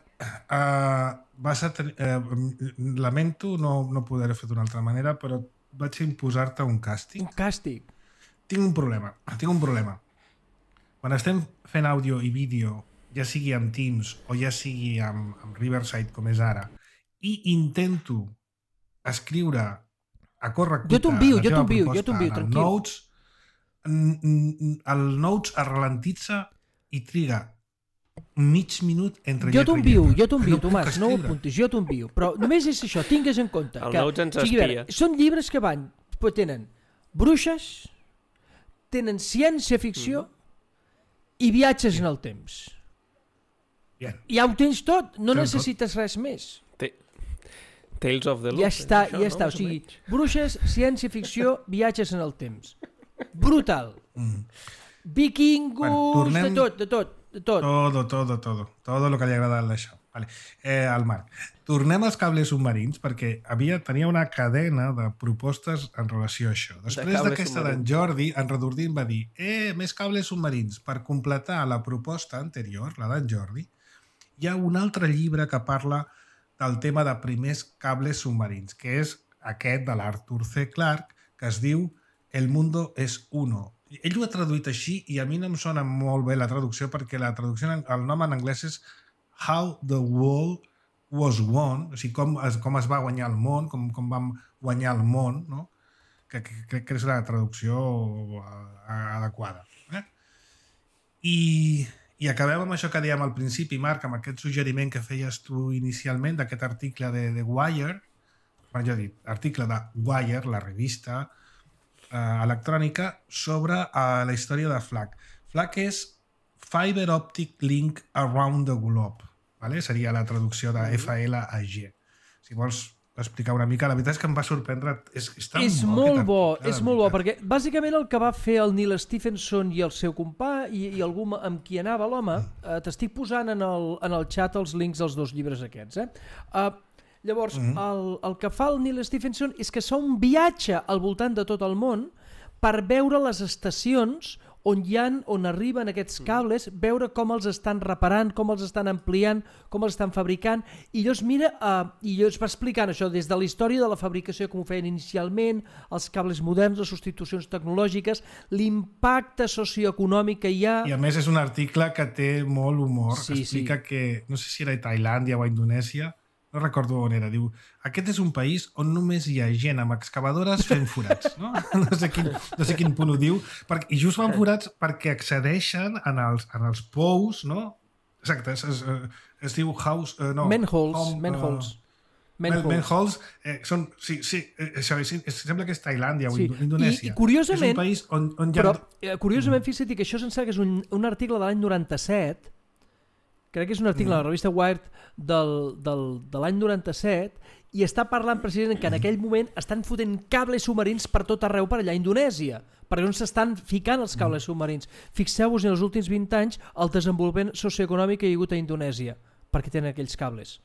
lamento no poder fer d'una altra manera, però vaig imposar-te un càstig. Un càstig? Tinc un problema. Quan estem fent àudio i vídeo, ja sigui amb Teams o ja sigui amb Riverside, com és ara, i intento escriure a correcuita jo t'envio, tranquil. El Notes es ralentitza i triga mig minut entre jo t'envio, Tomàs, no ho apuntis, jo t'envio, però només és això, tingues en compte el Notes ens espia. Són llibres que tenen bruixes, tenen ciència-ficció i viatges en el temps. Ja ho tens tot, no necessites res més. Tales of the Loop. Ja està, o sigui, bruixes, ciència-ficció, viatges en el temps. Brutal. Vikingos, de tot. Todo lo que li agrada d'això. Vale. Al Marc. Tornem als cables submarins perquè tenia una cadena de propostes en relació a això. Després d'aquesta d'en Jordi, en Redordín va dir més cables submarins. Per completar la proposta anterior, la d'en Jordi, hi ha un altre llibre que parla del tema de primers cables submarins, que és aquest de l'Arthur C. Clarke, que es diu El mundo es uno. Ell ho ha traduït així i a mi no em sona molt bé la traducció perquè la traducció, el nom en anglès és How the World Was Won, o sigui, com es va guanyar el món, com vam guanyar el món, no? Que crec que és la traducció adequada. I acabem amb això que dèiem al principi, Marc, amb aquest suggeriment que feies tu inicialment d'aquest article de Wire, article de Wire, la revista electrònica, sobre la història de FLAC. FLAC és Fiber Optic Link Around the Globe, vale? Seria la traducció de FLAG. Si vols explicar una mica, la veritat és que em va sorprendre. És molt bo, perquè bàsicament el que va fer el Neil Stephenson i el seu company i algú amb qui anava l'home, t'estic posant en el xat els links dels dos llibres aquests. Llavors, el que fa el Neil Stephenson és que fa un viatge al voltant de tot el món per veure les estacions on arriben aquests cables, veure com els estan reparant, com els estan ampliant, com els estan fabricant, i llavors mira, i llavors va explicant això des de la història de la fabricació, com ho feien inicialment, els cables moderns, les substitucions tecnològiques, l'impacte socioeconòmic que hi ha... I a més és un article que té molt humor, explica que, no sé si era a Tailàndia o a Indonèsia, no recordo on era, diu, aquest és un país on només hi ha gent amb excavadores fent forats, no? No sé quin punt ho diu, i just fan forats perquè accedeixen en els pous, no? Exacte, es diu house... Manholes. Sembla que és Tailàndia o Indonèsia. I curiosament, és un país on hi ha... Curiosament, fixa't que això que és un article de l'any 97, crec que és un article a la revista Wired de l'any 97, i està parlant precisament que en aquell moment estan fotent cables submarins per tot arreu per allà a Indonèsia, perquè on s'estan ficant els cables submarins. Fixeu-vos en els últims 20 anys el desenvolupament socioeconòmic que hi ha hagut a Indonèsia, perquè tenen aquells cables.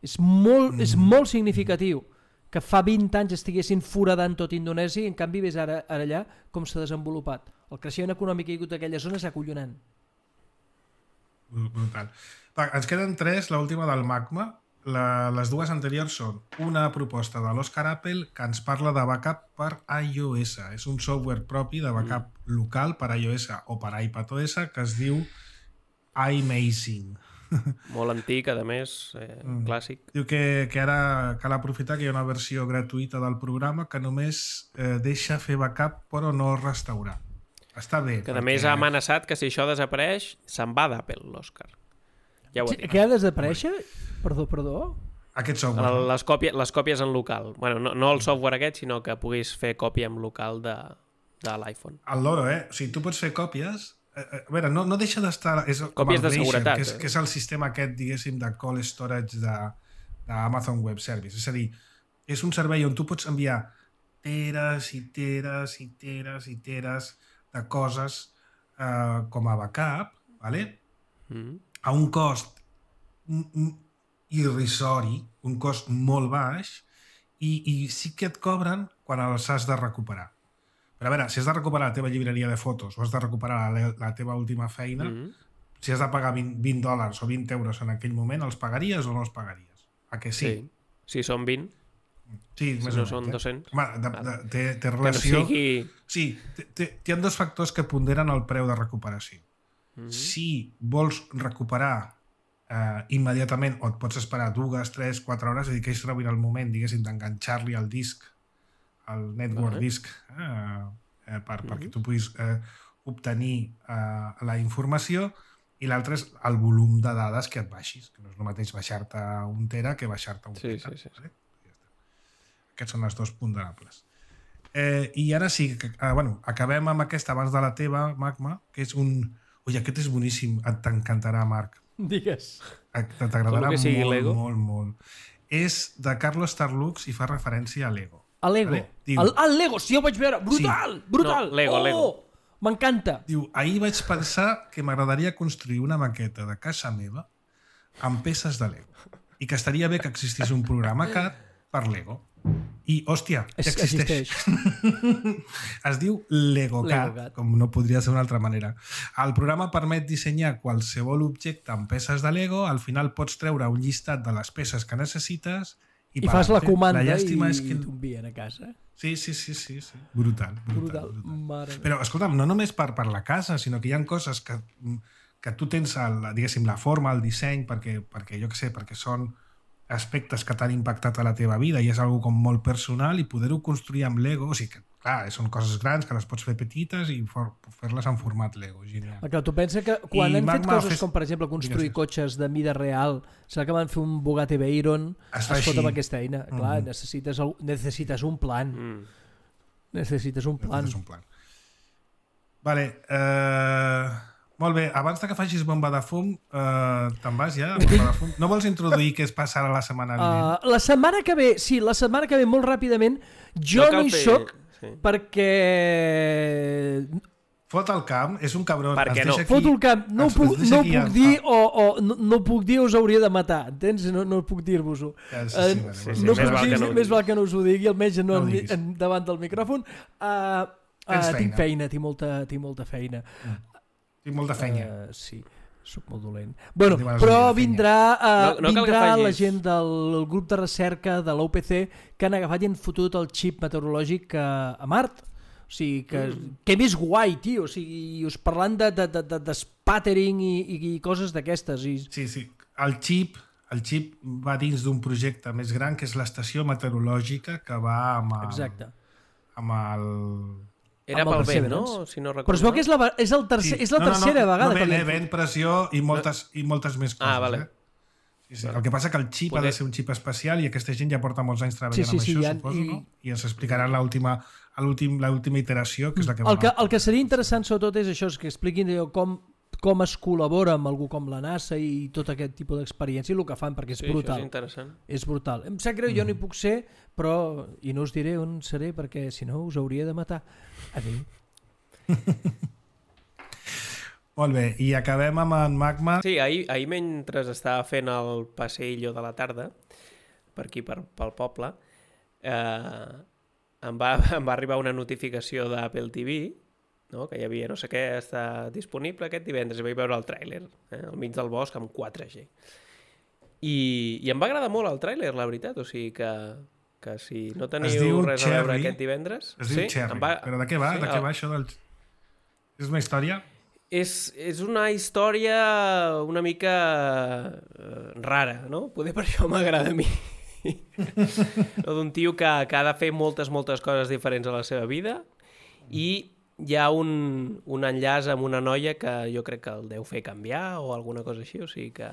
És molt significatiu que fa 20 anys estiguessin foradant tot Indonèsia i en canvi ves ara allà com s'ha desenvolupat. El creixement econòmic que hi ha hagut a aquella zona és acollonant. Brutal. Ens queden 3, l'última del Magma. Les dues anteriors són una proposta de l'Oscar Apple que ens parla de backup per iOS. És un software propi de backup local per iOS o per iPadOS que es diu iMazing. Molt antic, a més, clàssic. Diu que ara cal aprofitar que hi ha una versió gratuïta del programa que només deixa fer backup però no restaurar. Està bé. Que a més ha amenaçat que si això desapareix se'n va d'Apple, l'Òscar. Ja ho ha dit. Què ha de desaparèixer? Perdó? Aquest software. Les còpies en local. Bueno, no el software aquest, sinó que puguis fer còpia en local de l'iPhone. El loro, O sigui, tu pots fer còpies. A veure, no deixa d'estar... Còpies de seguretat. Que és el sistema aquest, diguéssim, de call storage d'Amazon Web Service. És a dir, és un servei on tu pots enviar teres i teres i teres i teres de coses com a backup, ¿vale? A un cost irrisori, un cost molt baix, i sí que et cobren quan els has de recuperar. Però a veure, si has de recuperar la teva llibreria de fotos o has de recuperar la teva última feina, si has de pagar $20 o 20 euros en aquell moment, els pagaries o no els pagaries? A que sí? Si són 20. Sí, si no són 200. Home, té relació... Sí, hi ha dos factors que ponderen el preu de recuperació. Si vols recuperar immediatament o et pots esperar 2, 3, 4 hores, és a dir, que és rebent el moment, diguéssim, d'enganxar-li al disc, al network disk, perquè tu puguis obtenir la informació, i l'altre és el volum de dades que et baixis, que no és el mateix baixar-te un tera que baixar-te un peta. Sí. Aquests són els dos ponderables. I ara sí, acabem amb aquesta abans de la teva, Magma, que és un... Ui, aquest és boníssim, t'encantarà, Marc. Digues. T'agradarà molt. És de Carlos Tarlux i fa referència a Lego. A Lego? El Lego, sí, ho vaig veure. Brutal! No, Lego. M'encanta. Diu, ahir vaig pensar que m'agradaria construir una maqueta de casa meva amb peces de Lego i que estaria bé que existís un programa CAD per Lego. I, hòstia, ja existeix. Es diu LegoCAD, com no podria ser d'una altra manera. El programa permet dissenyar qualsevol objecte amb peces de Lego, al final pots treure un llistat de les peces que necessites i fas la comanda i t'ho envien a casa. Sí. Brutal. Però, escolta'm, no només per la casa, sinó que hi ha coses que tu tens, diguéssim, la forma, el disseny, perquè jo què sé, perquè són aspectes que t'han impactat a la teva vida i és algo com molt personal i poder-ho construir amb Lego, o sigui que, clar, són coses grans que les pots fer petites i fer-les en format Lego, genial. Clar, tu pensa que quan han fet coses com, per exemple, construir cotxes de mida real, serà que van fer un Bugatti Veyron, es fot amb aquesta eina. Clar, necessites un plan. Necessites un plan. Vale, molt bé, abans que facis bomba de fum, te'n vas ja? No vols introduir què es passarà la setmana vinent? La setmana que ve, molt ràpidament, jo no hi soc perquè... Fot el camp, és un cabron. Per què no? Fot el camp, no puc dir us hauria de matar, entens? No puc dir-vos-ho. Més val que no us ho digui, almenys no davant del micròfon. Tinc feina, tinc molta feina. Tinc molta feina. Sí, soc molt dolent. Bueno, però vindrà la gent del grup de recerca de l'OPC que han agafat i han fotut el xip meteorològic a Mart. O sigui, que més guai, tio. O sigui, us parlant de spattering i coses d'aquestes. Sí. El xip va dins d'un projecte més gran que és l'estació meteorològica que va amb el... Exacte. Amb el... Era pel vent, no? Si no recordo. Però es veu que és la tercera vegada que vent, pressió i moltes més coses. Vale. Sí. El que passa que el xip ha de ser un xip especial i aquesta gent ja porta molts anys treballant amb això, suposo, no? I ens explicaran l'última iteració, que és la que va... El que seria interessant sobretot és això, és que expliquin com es col·labora amb algú com la NASA i tot aquest tipus d'experiència i el que fan, perquè és brutal. Això és interessant. És brutal. Em sap greu, jo no hi puc ser, però... I no us diré on seré, perquè si no us hauria de matar. Adéu. Molt bé, i acabem amb en Magma. Sí, ahir mentre estava fent el passeillo de la tarda, per aquí, pel poble, em va arribar una notificació d'Apple TV, no? Que hi havia no sé què, està disponible aquest divendres, i vaig veure el tràiler, al mig del bosc amb 4G. I em va agradar molt el tràiler, la veritat, o sigui que si no teniu res a veure aquest divendres... Es diu Cherry, però de què va? De què va això del... És una història? És una història una mica rara, no? Poder per això m'agrada a mi. D'un tio que ha de fer moltes coses diferents a la seva vida i hi ha un enllaç amb una noia que jo crec que el deu fer canviar o alguna cosa així, o sigui que...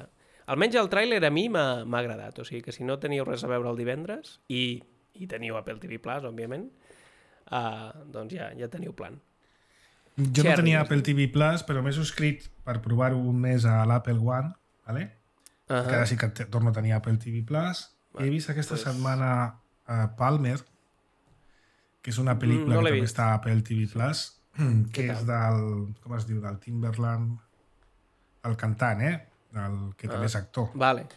Almenys el tràiler a mi m'ha agradat, o sigui que si no teniu res a veure el divendres i teniu Apple TV Plus, òbviament, doncs ja teniu plan. Jo no tenia Apple TV Plus, però m'he subscrit per provar-ho un mes a l'Apple One, ¿vale? Que ara sí que torno a tenir Apple TV Plus. He vist aquesta setmana Palmer, que és una pel·lícula que també està a Apple TV Plus, que és del, com es diu, del Timberland, el cantant, el que també és actor. Vale.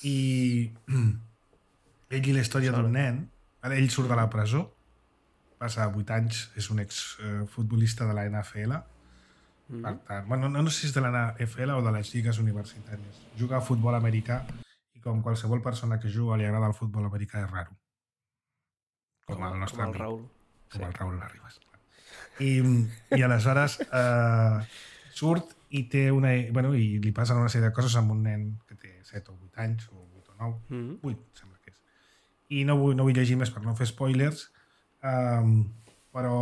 I ell i la història d'un nen, ell surt de la presó, passa 8 anys, és un exfutbolista de la NFL. Per tant, bueno, no sé si és de la NFL o de les lligues universitàries. Juga a futbol americà i com qualsevol persona que juga li agrada el futbol americà és raro. Com el nostre amic. Raül. Com el Raül Arribas. I aleshores surt i té una... Bueno, i li passen una sèrie de coses amb un nen que té 7 o 8 anys, o 8 o 9, 8 sembla que és. I no vull llegir més per no fer spoilers, però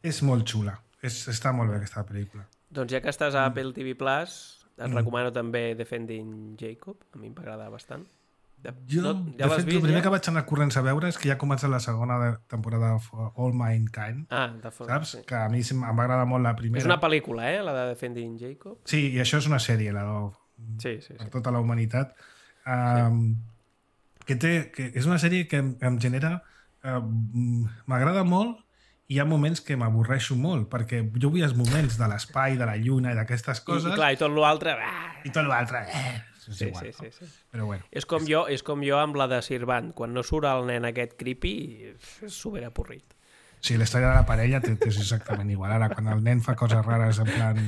és molt xula. Està molt bé aquesta pel·lícula. Doncs ja que estàs a Apple TV Plus, et recomano també Defending Jacob. A mi m'agrada bastant. De fet, el primer que vaig anar corrents a veure és que ja ha començat la segona temporada de All Mankind. Saps? Sí. Que a mi em va agradar molt la primera. És una pel·lícula, la de Defending Jacob. Sí, i això és una sèrie, sí. Per tota la humanitat. Que és una sèrie que em genera... m'agrada molt i hi ha moments que m'avorreixo molt, perquè jo vull els moments de l'espai, de la lluna i d'aquestes coses... I clar, i tot l'altre... I tot l'altre... És igual, sí. Però bueno. És com jo amb la de Sirvant. Quan no surt el nen aquest creepy, és superavorrit. Sí, la història de la parella és exactament igual. Ara, quan el nen fa coses rares en plan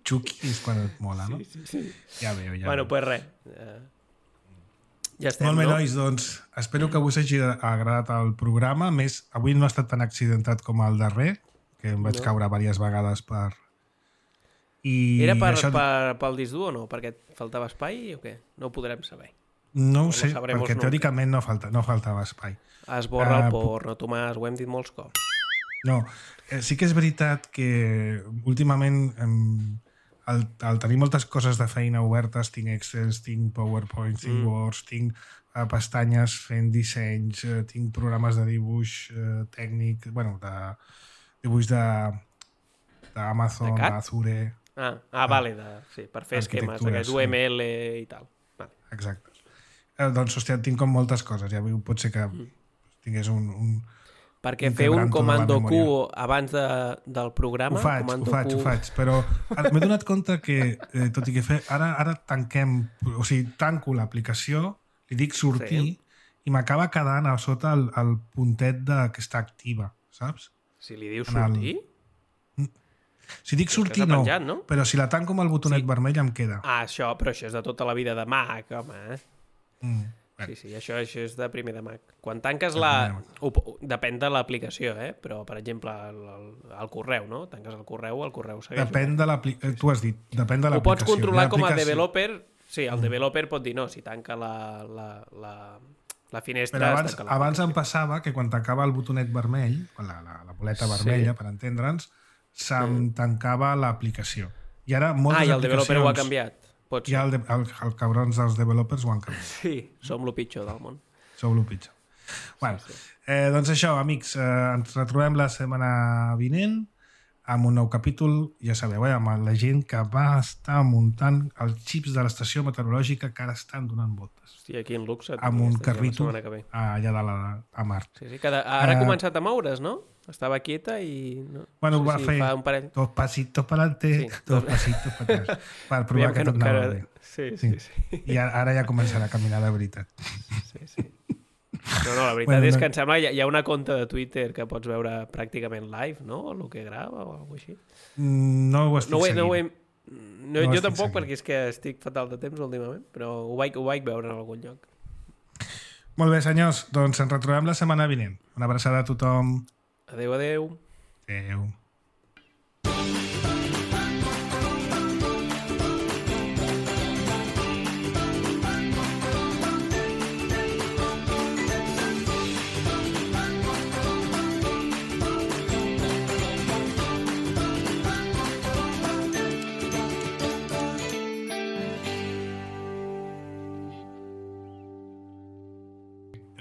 Chucky, és quan et mola, no? Sí. Ja veu. Bueno, doncs res. Ja estem, molt bé, nois, doncs espero que us hagi agradat el programa. A més, avui no ha estat tan accidentat com el darrer, que em vaig caure diverses vegades per... Era pel disc dur o no? Perquè et faltava espai o què? No ho podrem saber. No ho sé, perquè teòricament no faltava espai. Esborra el porno, Tomàs, ho hem dit molts cops. No, sí que és veritat que últimament al tenir moltes coses de feina obertes, tinc Excels, tinc PowerPoint, tinc Words, tinc pestanyes fent dissenys, tinc programes de dibuix tècnic, bueno, de dibuix d'Amazon, d'Azure... Vale, sí, per fer esquemes, d'aquest UML i tal. Vale. Exacte. Doncs, hòstia, tinc com moltes coses, ja pot ser que tingués un perquè fer un comando Q abans del programa... Ho faig, però m'he donat compte que, tot i que ara tanco l'aplicació, li dic sortir i m'acaba quedant a sota el puntet que està activa, saps? Si li dius sortir? Si dic sortir, no, però si la tanco amb el botonet vermell em queda. Però això és de tota la vida de Mac, home. Sí, això és de primer de Mac. Quan tanques depèn de l'aplicació, però, per exemple, el correu, no? Tanques el correu segueix. Depèn de l'aplicació. Tu has dit, depèn de l'aplicació. Ho pots controlar com a developer. Sí, el developer pot dir no, si tanca la finestra... Però abans em passava que quan tancava el botonet vermell, la boleta vermella, per entendre'ns, se'm tancava l'aplicació. I ara moltes aplicacions... I el developer ho ha canviat. Ja els cabrons dels developers ho han canviat. Sí, som lo pitjor del món. Sou lo pitjor. Bueno, doncs això, amics, ens retrobem la setmana vinent amb un nou capítol, ja sabeu, amb la gent que va estar muntant els xips de l'estació meteorològica que ara estan donant voltes. Hòstia, aquí en Luxe. Amb un carrito allà a Mart. Sí, ara ha començat a moure's, no? Estava quieta i... Bueno, va fer dos pasitos per adelante, dos pasitos per atrás, per provar que tot anava bé. Sí. I ara ja començarà a caminar de veritat. Sí. No, la veritat és que em sembla que hi ha una conta de Twitter que pots veure pràcticament live, no? El que grava o alguna cosa així. No ho estic seguint. Jo tampoc, perquè és que estic fatal de temps últimament, però ho vaig veure en algun lloc. Molt bé, senyors, doncs ens retrobem la setmana vinent. Una abraçada a tothom. Adéu. Adéu.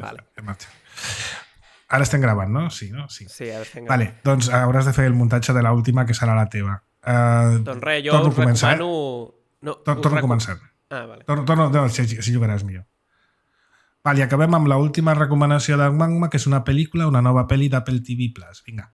Vale. Ara estem gravant, no? Sí, no? Sí, ara estem gravant. Vale, doncs hauràs de fer el muntatge de l'última, que serà la teva. Doncs res, jo us recomano... Torno a començar. Vale. Si jugaràs millor. Vale, i acabem amb l'última recomanació d'en Magma, que és una pel·lícula, una nova pel·li d'Apple TV+. Vinga.